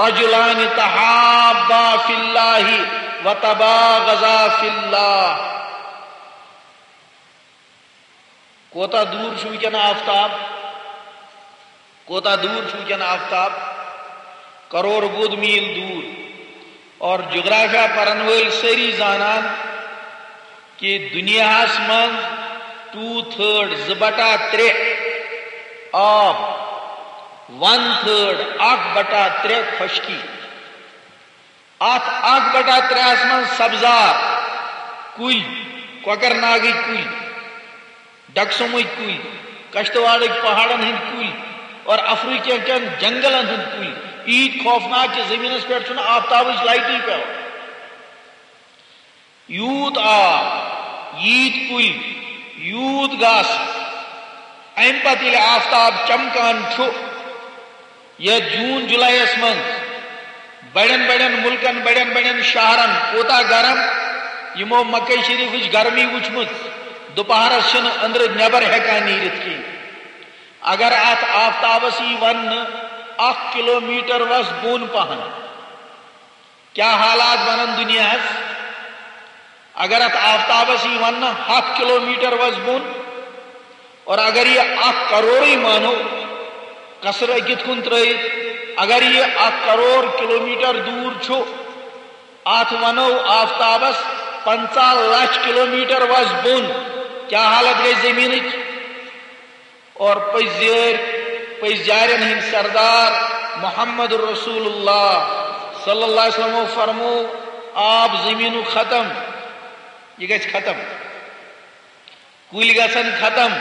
"رجلان تحابا فی اللہ و تباغضا فی اللہ۔" کوتاہ دوٗر چھُ وٕنکیٚن آفتاب؟ کوتاہ دوٗر چھُ وٕنکیٚن آفتاب؟ کرور بود میٖل دوٗر۔ اور جغرافیہ پرن وٲلۍ سٲری زانان کہِ دُنیاہَس منٛز ٹوٗ تھٲڈ، زٕ بٹا ترٛےٚ آب، ون تھٲڈ، اکھ بٹا ترٛےٚ خۄشکی۔ اتھ اکھ بٹا ترٛےٚ ہَس منٛز سبزار، کُلۍ، کۄکر ناگٕکۍ کُلۍ، ڈکسومٕکۍ کُلۍ، کشتواڑٕکۍ پہاڑن ہٕنٛدۍ کُلۍ اور افریقہ کٮ۪ن جنگلن ہٕنٛدۍ کُلۍ۔ ییٖتۍ خوفناک کہِ زٔمیٖنس پٮ۪ٹھ چھُنہٕ آفتابٕچ لایٹٕے پٮ۪وان۔ یوٗت آب، ییٖتۍ کُلۍ، یوٗت گاسہٕ۔ اَمہِ پتہٕ ییٚلہِ آفتاب چمکان چھُ، یتھ جوٗن جُلایَس منٛز بڑٮ۪ن بڑٮ۪ن مُلکن، بڑٮ۪ن بڑٮ۪ن شہرن کوٗتاہ گرم، یِمو مکہ شریفٕچ گرمی وٕچھمٕژ دُپہرس چھِنہٕ أنٛدرٕ نٮ۪بر ہٮ۪کان نیٖرِتھ کِہیٖنۍ۔ اگر اتھ آفتابس یی وننہٕ، "اکھ کلومیٹر وس بۄن پہن"، کیا حالات بنن دنیاہس؟ اگر اتھ آفتابس یی وننہٕ، "ہتھ کلومیٹر وس بۄن"، اور اگر یہِ اکھ کرورٕے مانو، قصر أکِتھ کُن ترٲیِتھ، اگر یہِ اکھ کرور کلومیٹر دوٗر چھُ، اتھ ونو آفتابس، "پنٛژاہ لچھ کلومیٹر وس بۄن"، کیا حالت گژھِ زمینٕچ؟ اور پٔزۍ یٲرۍ، پٔزۍ یارٮ۪ن ہٕنٛدۍ سردار محمد رسول اللہ صلی اللہ علیہ وسلمو فرمو، آب زمینُک ختم، یہِ گژھِ ختم، کُلۍ گژھن ختم،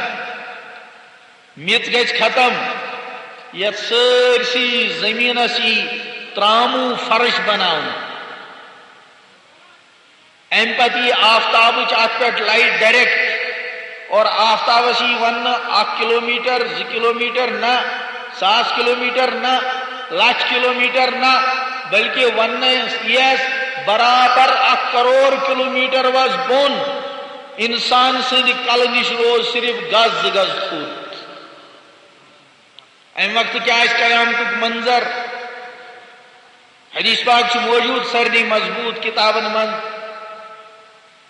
میٚژ گژھِ ختم، یتھ سٲرسٕے زمینس یی تراموٗ فرش بناونہٕ۔ امہِ پتہٕ یی آفتابٕچ اتھ پٮ۪ٹھ لایٹ ڈائریکٹ، اور آفتابس یی وننہٕ، "اکھ کلومیٹر، زٕ کلومیٹر نہ، ساس کلومیٹر نہ، لچھ کلومیٹر نہ"، بلکہ وننہٕ یس، "برابر اکھ کرور کلومیٹر وس بۄن، انسان سٕنٛدِ کلہٕ نِش روز صرف گز زٕ گز تھوٚد"۔ امہِ وقتہٕ کیٛاہ آسہِ قیامتُک منظر؟ حدیث پاک چھُ موجود سارنٕے مضبوط کتابن منٛز۔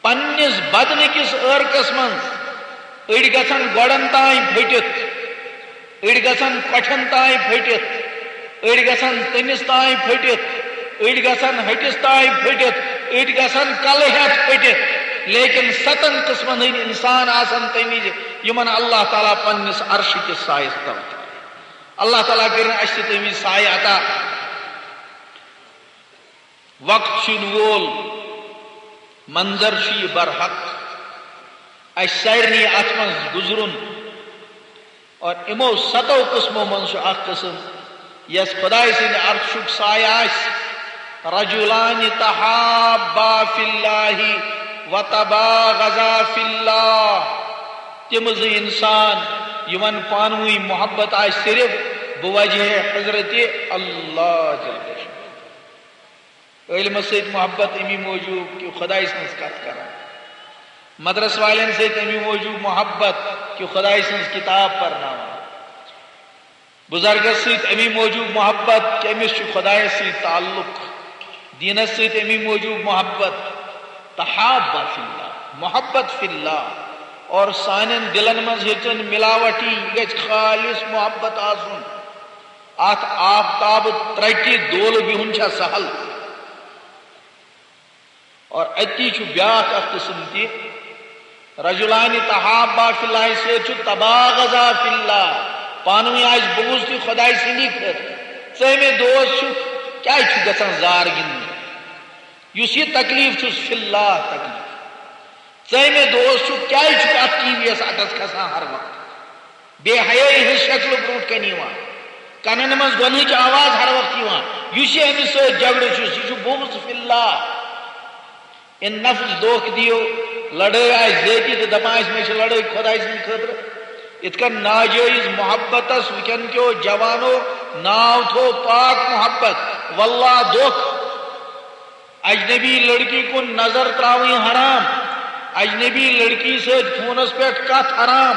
پننِس بدنہٕ کِس عٲرقس منٛز أڑۍ گژھن گۄڈن تام پھٔٹِتھ، أڑۍ گژھن کۄٹھٮ۪ن تام پھٔٹِتھ، أڑۍ گژھن تٔمِس تام پھٔٹِتھ، أڑۍ گژھن ۂٹِس تام پھٔٹِتھ، أڑۍ گژھن کلہٕ ہٮ۪تھ پھٔٹِتھ، لیکن ستن قٕسمن ہٕنٛدۍ انسان آسن تمہِ وِزِ یِمن اللہ تعالیٰ پننِس عرشہٕ کِس سایس تل تھاوِ۔ اللہ تعالیٰ کٔرِن اَسہِ تہِ تَمہِ وِزِ سایہِ عطا۔ وقت چھُ یِنہٕ وول، منظر چھُ یہِ برحق۔ اسہِ سارنٕے اتھ منٛز گُزرُن۔ اور یِمو ستو قٕسمو منٛز چھُ اکھ قٕسم یس خدایہِ سٕنٛدِ عرشُک سایہِ آسہِ۔ رجلان تحابا فی اللہ و تباغضا فی اللہ۔ تِم زٕ انسان یِمن پانہٕ ؤنۍ محبت آسہِ صرف بوجہ حضرت اللہ جل شانہ۔ علمس سۭتۍ محبت امی موجوب کہ خدایہِ سٕنٛز کتھ کران، مدرس والٮ۪ن سۭتۍ امی موجوب محبت کہ خدایہِ سٕنٛز کتاب پرناوان، بزرگس سۭتۍ امی موجوب محبت کہ أمِس چھُ خدایس سۭتۍ تعلق، دینس سۭتۍ امی موجوب محبت۔ تحابا فی اللہ، محبت فی اللہ۔ اور سانٮ۪ن دلن منٛز ہیٚژٕن ملاوٹی، یہِ گژھِ خالص محبت آسُن۔ اتھ آفتاب ترٹہِ دولہٕ بِہُن چھا سہل؟ اور اتی چھُ بیاکھ اکھ قسم تہِ، رجلان تحابا فی اللہ سۭتۍ چھُ تباغضا فی اللہ، پانہٕ ؤنۍ آسہِ بغض تہِ خدایہِ سٕنٛدی خٲطرٕ۔ ژٕ مےٚ دوست چھُکھ، کیازِ چھُ گژھان زار گِنٛدنہِ؟ یُس یہِ تکلیف چھُس فی اللہ تکلیف۔ ژٕ مےٚ دوست چھُکھ، کیازِ چھُکھ اتھ ٹی وی یس اٹس کھسان ہر وقت؟ بے حیٲیی ہٕنٛز شکلہٕ برونٛٹھ کنہِ یِوان، کنن منٛز گۄنہٕچ آواز ہر وقت یِوان۔ یُس یہِ أمِس سۭتۍ جھگڑٕ چھُس، یہِ چھُ بغض فی اللہ۔ ان نفس دھوکہ دِیو، لڑٲے آسہِ ذٲتی تہٕ دپان آسہِ، مےٚ چھِ لڑٲے خۄداے سٕنٛدِ خٲطرٕ۔ یِتھ کٔنۍ ناجٲیز محبتس وٕنکٮ۪ن کیو جوانو ناو تھوو پاک محبت، واللہ دھوکہ۔ اجنبی لڑکی کُن نظر تراوٕنۍ حرام، اجنبی لڑکی سۭتۍ فونس پٮ۪ٹھ کتھ حرام،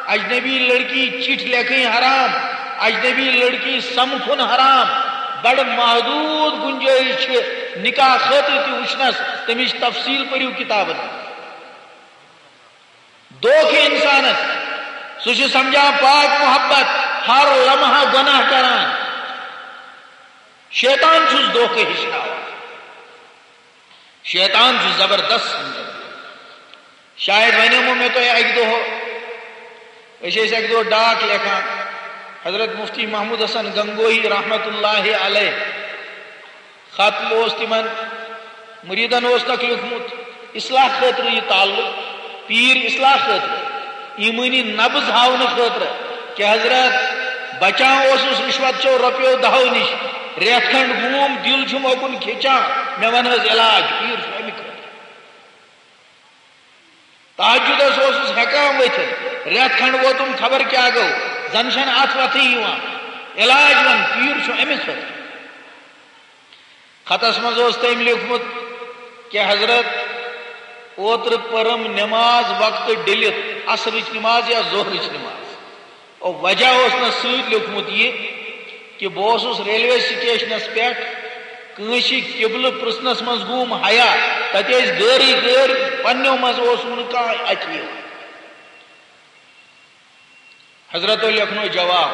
اجنبی لڑکی چٹھۍ لیکھٕنۍ حرام، اجنبی لڑکی سمکھُن حرام۔ بڑٕ محدود گنجٲیش چھِ نکاح خٲطرٕ تہِ وٕچھنس، تمِچ تفصیل پٔرِو کتابن منٛز۔ دھوکہ انسانس، سُہ چھُ سمجھان پاک محبت، ہر لمحہ گناہ کران۔ شیطان چھُس دھوکہ ہیٚچھناوان۔ شیطان چھُ زبردست سمجھان۔ شاید ونیمو مےٚ تۄہہِ اکہِ دۄہ، أسۍ ٲسۍ اکہِ دۄہ ڈاک لیکھان، حضرت مفتی محمود حسن گنگوہی رحمت اللہ علیہ خط اوس تِمن مریدن اوس تکھ لیوٗکھمُت اصلاح خٲطرٕ یہِ تعلق، پیٖر اصلاح خٲطرٕ، ایمٲنی نبض ہاونہٕ خٲطرٕ کہ حضرت بچان اوسُس رشوت چو رۄپیو دہو نِش، رٮ۪تھ کھنڈ گوم دِل چھُم اوکُن کھیٚچان، مےٚ ون حظ علاج، پیٖر چھُ اَمہِ خٲطرٕ۔ تہجدس اوسُس ہٮ۪کان ؤتھِتھ، رٮ۪تھ کھنڈ ووتُم خبر کیٛاہ گوٚو، زن چھنہٕ اتھ وتھٕے یِوان۔ علاج ون، پیٖر چھُ أمِس خٲطرٕ۔ خطس منٛز اوس تٔمۍ لیوٗکھمُت کہ حضرت، اوترٕ پٔرٕم نماز وقتہٕ ڈٔلِتھ، عصرٕچ نماز یا ظہرٕچ نماز۔ او وجہ اوس نہٕ سۭتۍ لیوٗکھمُت یہِ کہ بہٕ اوسُس ریلوے سٹیشنس پٮ۪ٹھ کٲنٛسہِ قبلہٕ پرژھنس منٛز گوم حیا، تتہِ ٲسۍ غٲرٕے غٲر، پننیو منٛز اوس نہٕ کانٛہہ اتھِ یِوان۔ حضرتو لیکھنو جواب،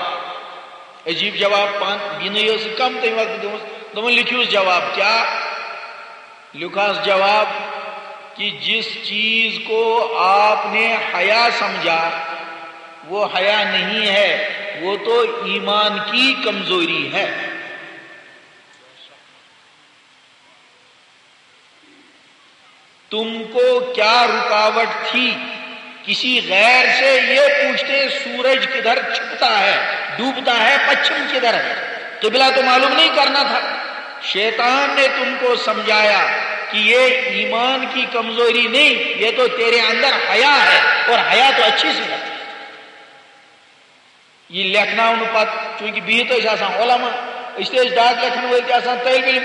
عجیب جواب پان، بیٚنہِ ٲس کم تمہِ وقتہٕ گٔمٕژ، دوٚپُن، لیکھِوس جواب۔ کیٛاہ لیکھہَس جواب؟ کہ جس چیز کو آپ نے حیا سمجھا، وہ حیا نہیں ہے، وہ تو ایمان کی کمزوری ہے۔ تم کو کیا رکاوٹ تھی کسی غیر سے یہ پوچھتے سورج کدھر چھپتا ہے، ڈوبتا ہے، پچھم کدھر ہے؟ قبلہ تو معلوم نہیں کرنا تھا؟ شیطان نے تم کو سمجھایا کہ یہ ایمان کی کمزوری نہیں، یہ تو تیرے اندر حیا ہے، اور حیا تو اچھی صفت ہے۔ یہ لیکھناونہٕ پتہٕ، چونکہ بِہِتھ ٲسۍ آسان علماء، أسۍ تہِ ٲسۍ ڈاک لیکھن وٲلۍ تہِ آسان طٲلب علم،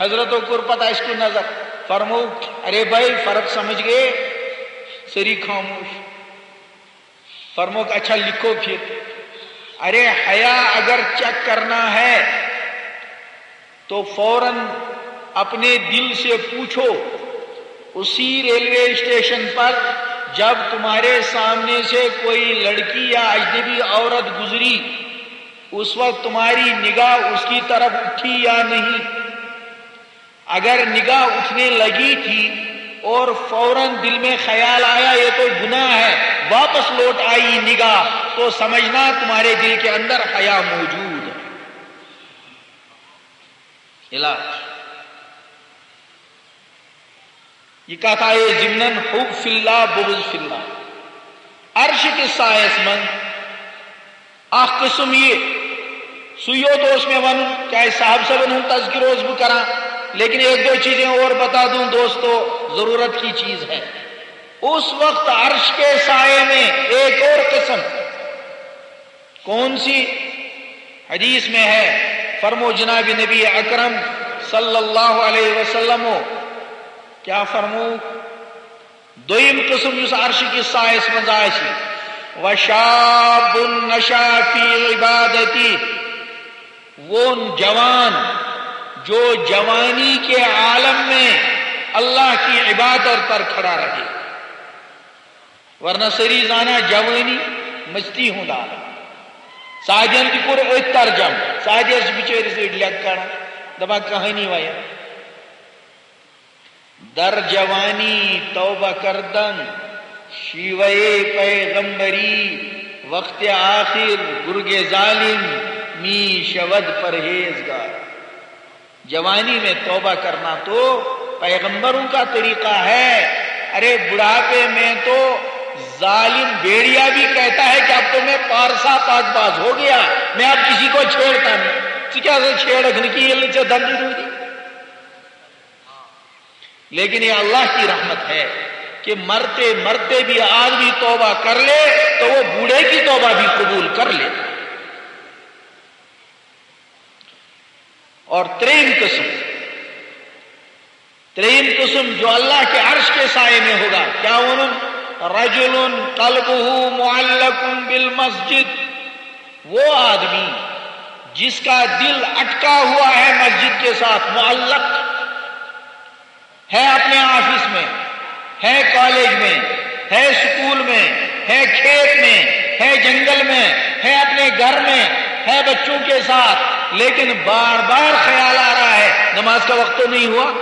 حضرتو کوٚر پتہٕ اَسہِ کُن نظر، فرموو، ارے بھائی، فرق سمجھ گئے؟ سٲری خاموش۔ فرمووُکھ، اچھا، لکھو پھر۔ ارے، حیا اگر چیک کرنا ہے تو فوراً اپنے دل سے پوچھو، اسی ریلوے اسٹیشن پر جب تمہارے سامنے سے کوئی لڑکی یا اجنبی عورت گزری، اس وقت تمہاری نگاہ اس کی طرف اٹھی یا نہیں؟ اگر نگاہ اٹھنے لگی تھی اور فوراً دل میں خیال آیا یہ تو گناہ ہے، واپس لوٹ آئی نگاہ، تو سمجھنا تمہارے دل کے اندر حیا موجود ہے۔ علاج۔ یہ کتھ آیے ضمناً حب فی اللہ، بغض فی اللہ۔ عرش کِس سایَس منٛز اکھ قٕسم یہِ، سُے یوت اوس مےٚ وَنُن، کیٛازِ صاحب صٲبن ہُنٛد تذکرٕ اوس بہٕ کران، لیکن ایک دو چیزیں اور بتا دوں دوستو، ضرورت کی چیز ہے۔ اس وقت عرش کے سائے میں ایک اور قسم، کون سی؟ حدیث میں ہے، فرمو جناب نبی اکرم صلی اللہ علیہ وسلم، کیا فرمو؟ دوٚیِم قٕسم یُس عرشہِ کِس سایَس منٛز آسہِ، وشاب نشا فی عبادتی، وہ جوان جو جوانی کے عالم میں اللہ کی عبادت پر کھڑا رہے۔ ورنہ سٲری زانان جوانی مستی ہُنٛد عالم۔ سعدین تہِ کوٚر أتھۍ ترجمہٕ۔ سعدیس چھِ بِچٲرِس أڑۍ لٮ۪کہٕ کڑان، دَپان کہانی وَیَن۔ در جوانی توبہ کردن، شیوہ پیغمبری، وقت آخر گرگ ظالم می شود پرہیزگار۔ جوانی میں توبہ کرنا تو پیغمبروں کا طریقہ ہے۔ ارے، بڑھاپے میں تو ظالم بھیڑیا بھی کہتا ہے کہ اب تو میں پارسا پاک باز ہو گیا، میں اب کسی کو چھیڑتا نہیں۔ ژٕ کیٛاہ سا چھیڑکھ نہٕ کِہیٖنۍ، ژےٚ دَنٛدٕے روٗدی۔ لیکن یہ اللہ کی رحمت ہے کہ مرتے مرتے بھی آدمی توبہ کر لے تو وہ بوڑھے کی توبہ بھی قبول کر لیتا ہے۔ اور تریم قسم، تریم قسم جو اللہ کے عرش کے سائے میں ہوگا، کیا انہوں؟ رجل قلبه معلق بالمسجد، وہ آدمی جس کا دل اٹکا ہوا ہے مسجد کے ساتھ، معلق ہے اپنے آفس میں، ہے کالج میں، ہے اسکول میں، ہے کھیت میں، ہے جنگل میں، ہے اپنے گھر میں، ہے بچوں کے ساتھ، لیکن بار بار خیال آ رہا ہے، نماز کا وقت تو نہیں ہوا؟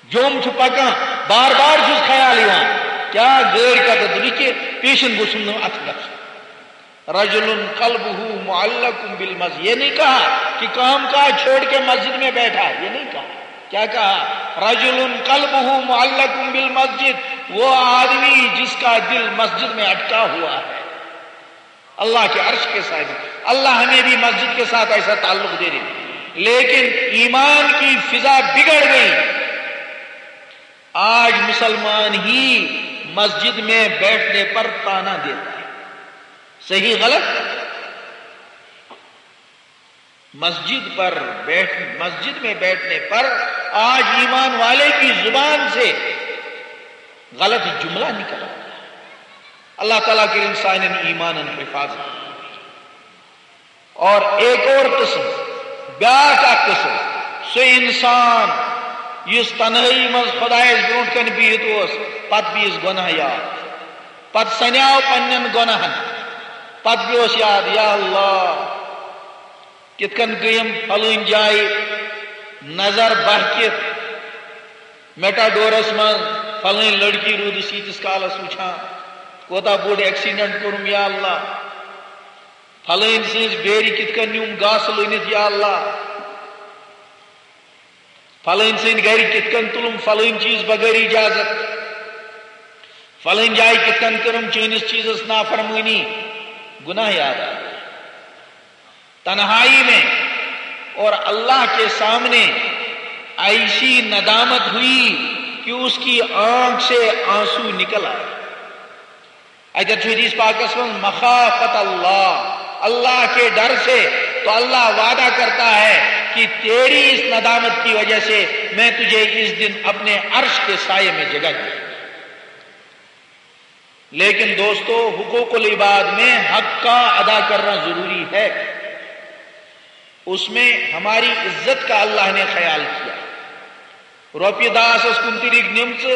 جوم چھُ پکان، بار بار چھُس خیال یِوان، کیا گٲڑۍ کتھ رُکہِ، پیشن گوٚژھُم نہٕ اتھ گژھُن۔ رجل قلبه معلق بالمسجد، یہ نہیں کہا کہ کام کاج چھوڑ کے مسجد میں بیٹھا، یہ نہیں کہا۔ کیا کہا؟ رجل قلبه معلق بالمسجد، وہ آدمی جس کا دل مسجد میں اٹکا ہوا ہے۔ اللہ کے عرش کے سائے میں، اللہ ہمیں بھی مسجد کے ساتھ ایسا تعلق دے دے۔ لیکن ایمان کی فضا بگڑ گئی، آج مسلمان ہی مسجد میں بیٹھنے پر طعنہ دیتا ہے۔ صحیح غلط؟ مسجد پر بیٹھ مسجد میں بیٹھنے پر آج ایمان والے کی زبان سے غلط جملہ نکل آتا ہے۔ اللہ تعالیٰ کے انسان ایمان حفاظت۔ اور ایک اور قسم، بیاکھ اکھ قسم، سُہ انسان یُس تنہٲیی منٛز خۄدایس برونٛٹھ کنہِ بِہِتھ اوس، پتہٕ بیٚیِس گۄناہ یاد، پتہٕ سنیاو پننٮ۪ن گۄناہن، پتہٕ بیٚہوس یاد، یا اللہ، کِتھ کٔنۍ گٔیم فلٲنۍ جایہِ نظر بہکِتھ، میٹاڈورس منٛز فلٲنۍ لڑکی روٗدُس ییٖتِس کالس وٕچھان، کوتاہ بوٚڑ ایکسیڈنٹ کوٚرُم یا اللہ، فلٲنۍ سٕنٛز بیرِ کِتھ کٔنۍ نیوٗم گاسہٕ لوٗنِتھ یا اللہ، فلٲنۍ سٕنٛدۍ گرِ کِتھ کٔنۍ تُلُم فلٲنۍ چیٖز بغٲر اجازت، فلٲنۍ جایہِ کِتھ کٔنۍ کٔرٕم چٲنِس چیٖزس نافرمٲنی، گناہ یاد آو۔ تنہائی میں اور اللہ کے سامنے ایسی ندامت ہوئی کہ اس کی آنکھ سے آنسو نکل آئے۔ اگر چھُ حدیث پاکس منٛز مخافت اللہ، اللہ کے ڈر سے، تو اللہ وعدہ کرتا ہے کہ تیری اس ندامت کی وجہ سے میں تجھے اس دن اپنے عرش کے سائے میں جگہ دوں۔ لیکن دوستو، حقوق العباد میں حق کا ادا کرنا ضروری ہے۔ اس میں ہماری عزت کا اللہ نے خیال کیا۔ رۄپیہِ دَہ آسَس کُنہِ طریٖقہٕ نِمژٕ،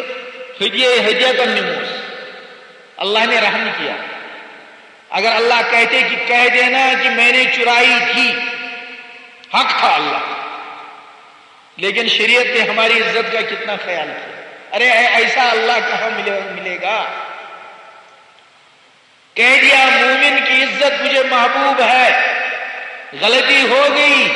ہدیے ہدیتن نِموس۔ اللہ نے رحم کیا۔ اگر اللہ کہتے کہ کہہ دینا کہ میں نے چرائی تھی، حق تھا اللہ، لیکن شریعت نے ہماری عزت کا کتنا خیال کیا۔ ارے، اے-، ایسا اللہ کہاں ملے، ملے گا؟ کہہ دیا، مومن کی عزت مجھے محبوب ہے، غلطی ہو گئی،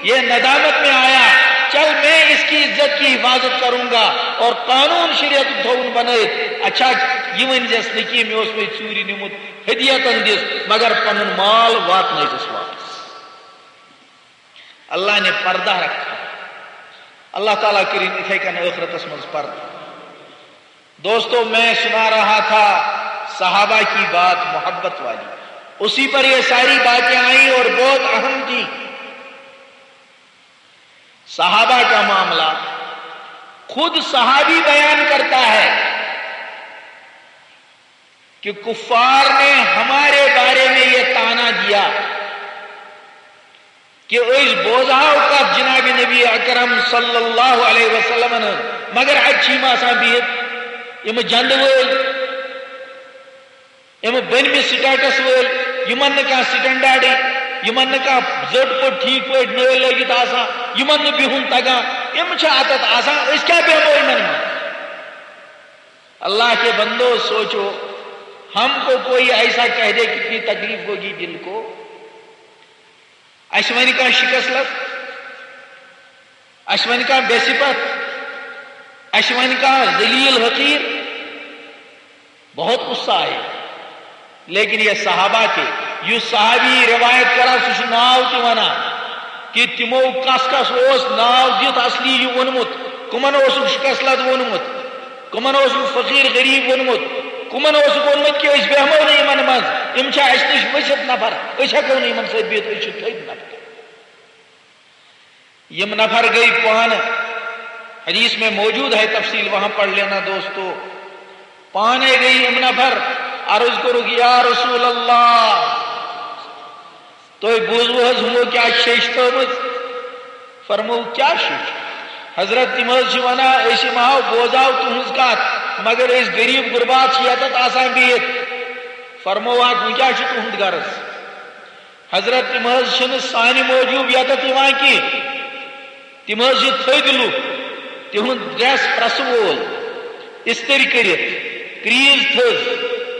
یہ ندامت میں آیا، چل، میں اس کی عزت کی حفاظت کروں گا اور قانون شریعت تھوون بنائے۔ اچھا، یہ ون زیس نکی میں اس میں چوری نمت ہدیتن دس، مگر پنن مال وات نہ دس واپس۔ اللہ نے پردہ رکھا۔ اللہ تعالیٰ کرین اتھے کن آخرتس منز پردہ۔ دوستو، میں سنا رہا تھا صحابہ کی بات محبت والی، اسی پر یہ ساری باتیں آئیں اور بہت اہم تھی۔ صحابہ کا معاملہ خود صحابی بیان کرتا ہے کہ کفار نے ہمارے بارے میں یہ طعنہ دیا کہ اس بوزاو کا جناب نبی اکرم صلی اللہ علیہ وسلم نے، مگر اچھی ماسا بیت، یم جند وٲلۍ، یم بٔنمہِ سٹیٹس وٲلۍ، یمن نہٕ کانٛہہ سٹینڈارڈٕے، یمن نہٕ کانٛہہ زٔٹ پٲٹھۍ ٹھیٖک پٲٹھۍ نٲلۍ لٲگِتھ آسان، یمن نہٕ بِہُن تگان، یم چھِ اتتھ آسان، أسۍ کیٛاہ بیٚہمو یمن منٛز؟ اللہ کے بندو، سوچو، ہم کو کوئی ایسا کہہ دے، کتنی تکلیف ہوگی دل کو۔ اسہِ ونہِ کانٛہہ شکست لد، اسہِ ونہِ کانٛہہ بے صفت، اسہِ ونہِ کانٛہہ ذلیل حقیر، بہت غصہ آئے۔ لیکن یہ صحابہ تھے، یُس صحابی روایت کران، سُہ چھُ ناو تہِ ونان کہ تِمو کس کس اوس ناو دِتھ اصلی یہِ ووٚنمُت، کمن اوسُکھ شکست لد ووٚنمُت، کمن اوسُکھ فقیر غریب ووٚنمُت، کمن اوسُکھ ووٚنمُت کہ أسۍ بیٚہمو نہٕ یِمن منٛز، یِم چھِ اسہِ نِش ؤسِتھ نفر، أسۍ ہٮ۪کو نہٕ یِمن سۭتۍ بِہِتھ، أسۍ چھِ تھٔدۍ نفر۔ یم نفر گئی پانہ، حدیث میں موجود ہے، تفصیل وہاں پڑھ لینا دوستو۔ پانے گئی یم نفر، عرض کرو کہ یا رسول اللہ، تُہۍ بوٗزوٕ حظ ہُمو کیٛاہ شیٚچھ تھٲومٕژ؟ فرموو، کیٛاہ شیٚچھ؟ حضرت، تِم حظ چھِ ونان، أسۍ یِم ہاو بوزاو تُہٕنٛز کتھ، مگر أسۍ غریب غربات چھِ یتتھ آسان بِہِتھ۔ فرمووُکھ، وۄنۍ کیٛاہ چھُ تُہُنٛد غرض؟ حضرت، تِم حظ چھِنہٕ سانہِ موٗجوٗب یتتھ یِوان کینٛہہ۔ تِم حظ چھِ تھٔدۍ لُکھ، تِہُنٛد ڈریس پریسہٕ وول، استری کٔرِتھ، کریٖز تھٔز،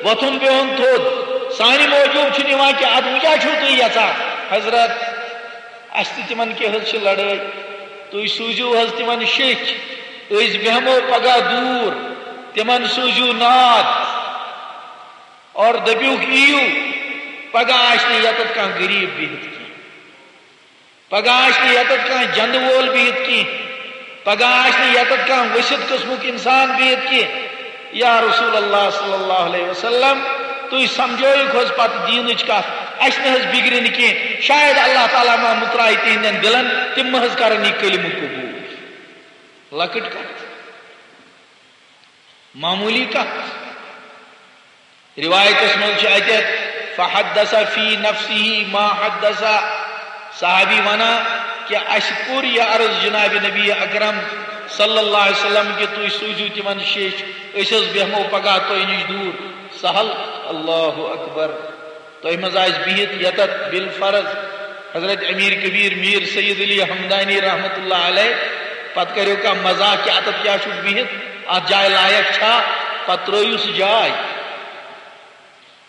وۄتھُن بِہُن تھوٚد۔ سانہِ موٗجوٗب چھُنہٕ یِوان کینٛہہ۔ ادٕ وۄنۍ کیٛاہ چھِو تُہۍ یژھان؟ حضرت، اسہِ تہٕ تِمن کیٛاہ حظ چھِ لڑٲے؟ تُہۍ سوٗزِو حظ تِمن شیٚچھ، أسۍ بیٚہمو پگاہ دوٗر، تِمن سوٗزِو ناد۔ اور دٔپِوکھ، یِیِو، پگاہ آسہِ نہٕ ییٚتٮ۪تھ کانٛہہ غریٖب بِہِتھ کینٛہہ، پگاہ آسہِ نہٕ ییٚتٮ۪تھ کانٛہہ جنٛدٕ وول بِہِتھ کینٛہہ، پگاہ آسہِ نہٕ ییٚتٮ۪تھ کانٛہہ ؤسِتھ قٕسمُک اِنسان بِہِتھ کینٛہہ۔ یا رسول اللہ صلی اللہ علیہ وسلم، تُہۍ سمجھٲیِو حظ پتہٕ دیٖنٕچ کتھ، اَسہِ نہٕ حظ بِگڑِ نہٕ کینٛہہ۔ شاید اللہ تعالیٰ ما مُتراوِ تِہنٛدٮ۪ن دِلن، تِم ما حظ کرن یہِ کلمہٕ قبوٗل۔ لۄکٕٹ کتھ۔ معمولی کتھ۔ روایتس منٛز چھُ اتہِ، فحدث فی نفسہ ما حدث۔ صحابی ونان کہ اسہِ کوٚر یہِ عرض جناب نبی اکرم صلی اللہ علیہ وسلم کہ تُہۍ سوٗزِو تِمن شیٚچھ، أسۍ حظ بیٚہمو پگاہ تۄہہِ نِش دوٗر۔ سہل، اللہ اکبر۔ تۄہہِ منٛز آسہِ بِہِتھ ییٚتٮ۪تھ بالفرض حضرت امیر کبیر میر سید علی حمدانی رحمت اللہ علیہ، پتہٕ کریو کانٛہہ مزاق کہ اتتھ کیٛاہ چھُکھ بِہِتھ، اتھ جایہِ لایق چھا، پتہٕ ترٲیِو سُہ جاے۔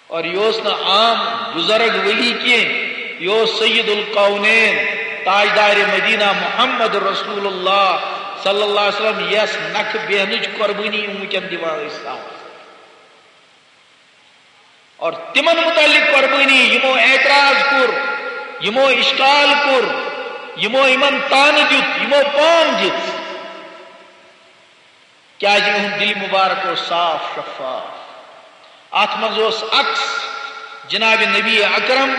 اور یہِ اوس نہٕ عام بزرگ ولی کینٛہہ، یہِ اوس سید الکونین، تاجدار مدینہ محمد رسول اللہ صلی اللہ علیہ وسلم، یس نکھٕ بیہنٕچ قربٲنی یِم وٕنکٮ۪ن دِوان ٲسۍ ساوس۔ اور تِمن متعلق قربٲنی، یِمو اعتراض کوٚر، یِمو اشکال کوٚر، یِمو یِمن طعنہٕ دیُت، یِمو پام دِژ، کیازِ یِہُنٛد دِل مبارک اوس صاف شفاف۔ اتھ منٛز اوس عکس جناب نبی اکرم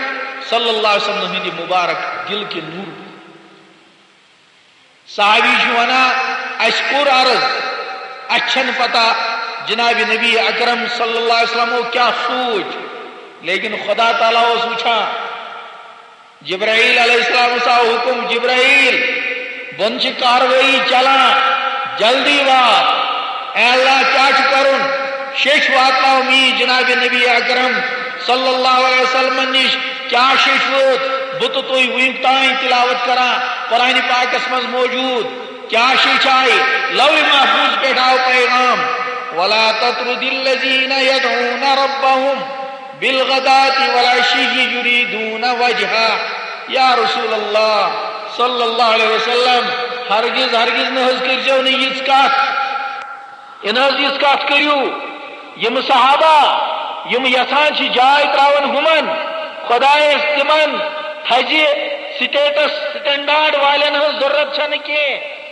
صلی اللہ علیہ وسلم ہٕنٛدِ مبارک دِل کہِ نوٗر۔ صحابی چھُ ونان، اسہِ کوٚر عرض، اسہِ چھنہٕ پتہ جناب نبی اکرم صلی اللہ علیہ وسلمو کیٛاہ سوٗنچ، لیکن خدا تعالیٰ اوس وٕچھان۔ جبرائیل علیہ السلام سا حکم، جبرائیل، بۄن چھِ کاروٲیی چلان، جلدی وات۔ اے اللہ، کیٛاہ چھُ کرُن؟ شیٚچھ واتناو میٖر جناب نبی اکرم صلی اللہ علیہ وسلم نِش۔ کیٛاہ شیٚچھ وٲژ؟ بہٕ تہٕ تُہۍ وٕنیُک تام تلاوت کران، قرآن پاکس منٛز موجود۔ کیٛاہ شیٚچھ آیہِ؟ لوح محفوظ پٮ۪ٹھ آو پیغام، ولا تطرد الذین یدعون ربهم بالغداة والعشی یریدون وجهه۔ یا رسول اللہ صلی اللہ علیہ وسلم، ہرگز، ہرگز نہ حظ کٔرۍزیو نہٕ یِژھ کتھ۔ یہِ نہ حظ یِژھ کتھ کٔرِو۔ یِم صحابہ، یِم یژھان چھِ جاے ترٛاوَن ہُمن، خۄدایس تِمن تھزِ سٹیٹس سٹینڈارڈ والٮ۪ن ہٕنٛز ضروٗرت چھنہٕ کینٛہہ۔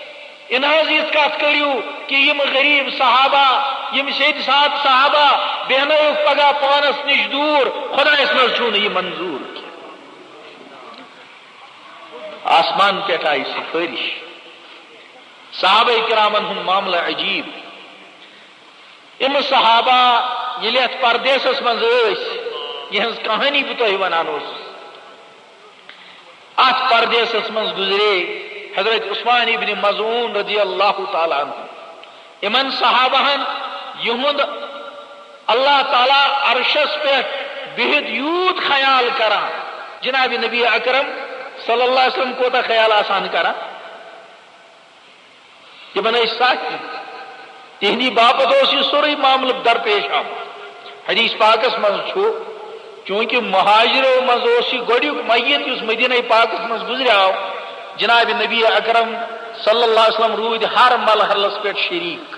یہِ نہ حظ یِژھ کتھ کٔرِو کہِ یِم غریب صحابہ، یِم سیدِ سادٕ صحابہ، بیہنٲوِکھ پگاہ پانس نِش دوٗر، خۄدایس نہ حظ چھُو نہٕ یہِ منظوٗر کینٛہہ۔ آسمان پٮ۪ٹھ آیہِ سفٲرِش۔ صحابہ کرامن ہُنٛد معاملہٕ عجیب۔ یِم صحابہ ییٚلہِ یتھ پردیسس منٛز ٲسۍ، یِہنٛز کہانی بہٕ تۄہہِ ونان اوسُس، اتھ پردیسس منٛز گُزرے حضرت عثمان ابن مظعون رضی اللہ تعالیٰ عنہ۔ یِمن صحابہن یِہُنٛد اللہ تعالیٰ عرشس پٮ۪ٹھ بِہِتھ یوٗت خیال کران، جناب نبی اکرم صلی اللہ علیہ وسلم کوٗتاہ خیال آسان کران؟ تِمن ٲسۍ ساتھی۔ تِہنٛدی باپتھ اوس یہِ سورُے معاملہٕ درپیش آمُت۔ حدیث پاکس منٛز چھُ، چوٗنٛکہِ مہاجرو منٛز اوس یہِ گۄڈٕنیُک میت یُس مدینہ پاکس منٛز گُزریٛاو، جناب نبی اکرم صلی اللہ علیہ وسلم روٗدۍ ہر مرحلس پٮ۪ٹھ شریٖک۔